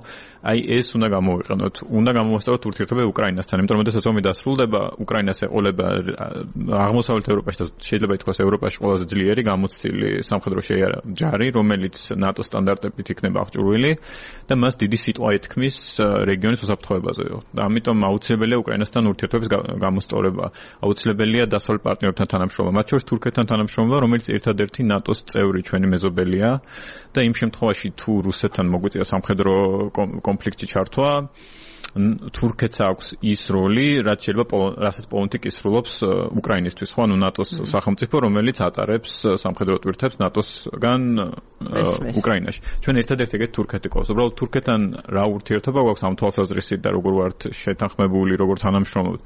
აი ეს უნდა გამოვიყენოთ უნდა გამოვასწოროთ ურთიერთობები უკრაინასთან იმიტომ რომ შესაძლოა ომი დასრულდება უკრაინას ეყოლება აღმოსავლეთ ევროპაში და შეიძლება ითქვას ევროპაში ყველაზე ძლიერი გამოცდილი სამხედრო შეიარა ჯარი რომელიც ნატოს სტანდარტებით იქნება აღჭურვილი მოწყობილი და მას დიდი სიტყვა ეთქმის რეგიონის უსაფრთხოებაზე. და ამიტომ აუცილებელია უკრაინასთან ურთიერთობების გამოსწორება. აუცილებელია დასავლეთ პარტნიორებთან თანამშრომლობა, მათ შორის თურქეთთან თანამშრომლობა, რომელიც ერთადერთი ნატოს წევრი ჩვენი მეზობელია და იმ შემთხვევაში თუ რუსეთთან მოგვიწია სამხედრო კონფლიქტში ჩართვა, თურქეთს აქვს ის როლი, რაც რასაც პოლონეთი კისრულობს უკრაინისთვის, ხო, ანუ ნატოს სახელმწიფო, რომელიც ატარებს სამხედრო ტვირთებს ნატოსგან უკრაინაში. ჩვენ ერთადერთი ეგეთ თურქეთი ყავს. უბრალოდ თურქეთთან რა ურთიერთობა გვაქვს ამ თვალსაზრისით და როგორ ვართ შეთანხმებული, როგორ თანამშრომლობთ.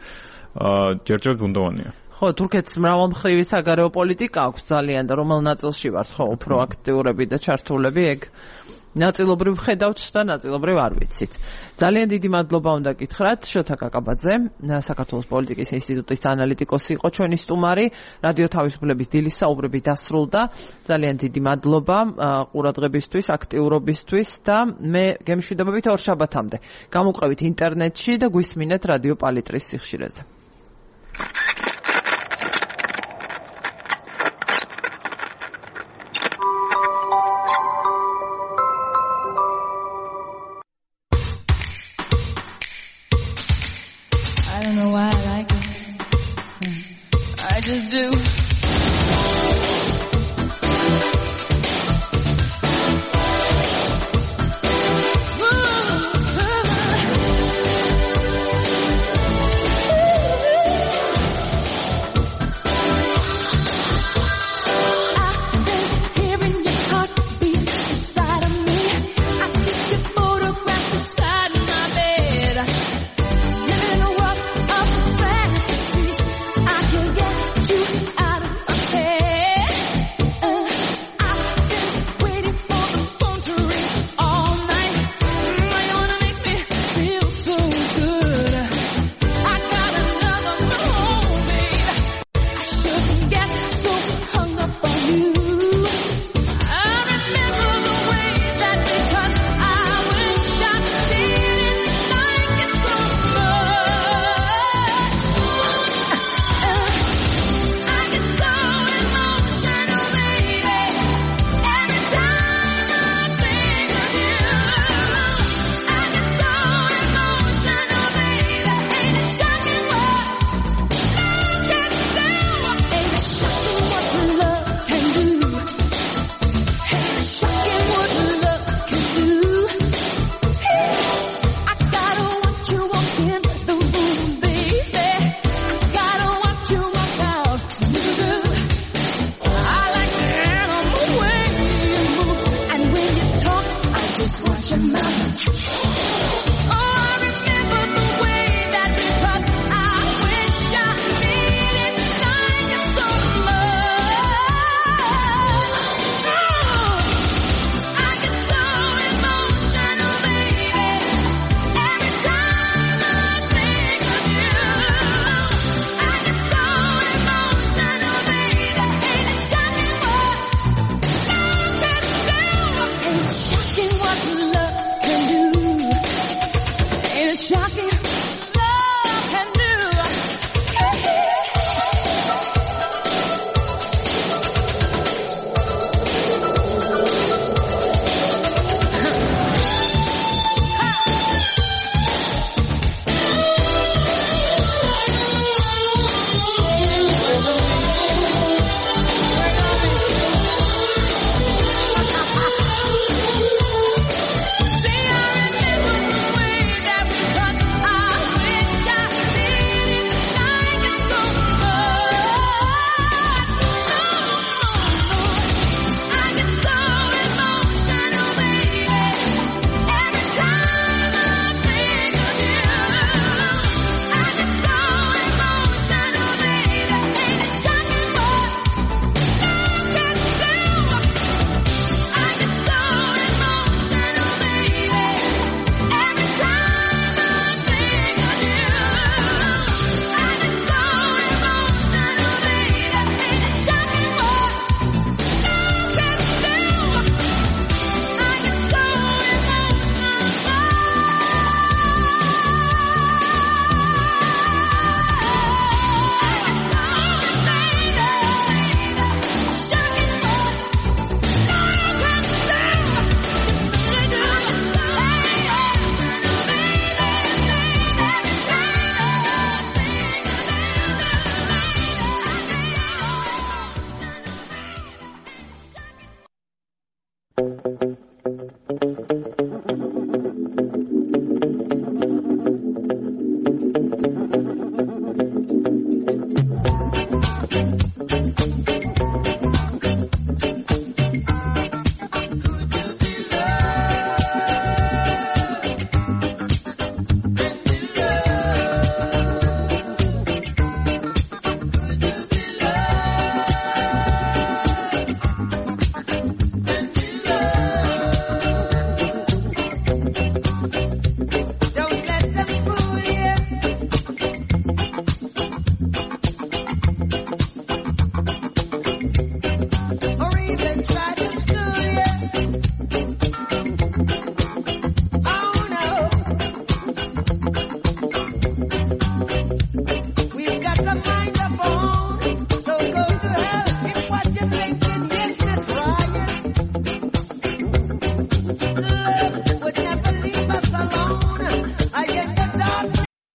ჯერჯერობით ბუნდოვანია. ხო, თურქეთს მრავალმხრივი საგარეო პოლიტიკა აქვს ძალიან და რომელ ნაწილში ვართ, ხო, უფრო აქტიურები და ჩართულები ეგ ნაწილობრივ ხედავთ და ნაწილობრივ არ ვიცით. ძალიან დიდი მადლობა უნდა გითხრათ შოთა კაკაბაძე, საქართველოს პოლიტიკის ინსტიტუტის ანალიტიკოსი იყო ჩვენი სტუმარი, რადიო თავისუფლების დილის საუბრები დასრულდა. ძალიან დიდი მადლობა ყურადღებისთვის, აქტიურობისთვის და მე გემშვიდობებით ორშაბათამდე. გამოყვებით ინტერნეტში და გვისმინეთ რადიო პალიტრის სიხშირეზე. just do. Shocking.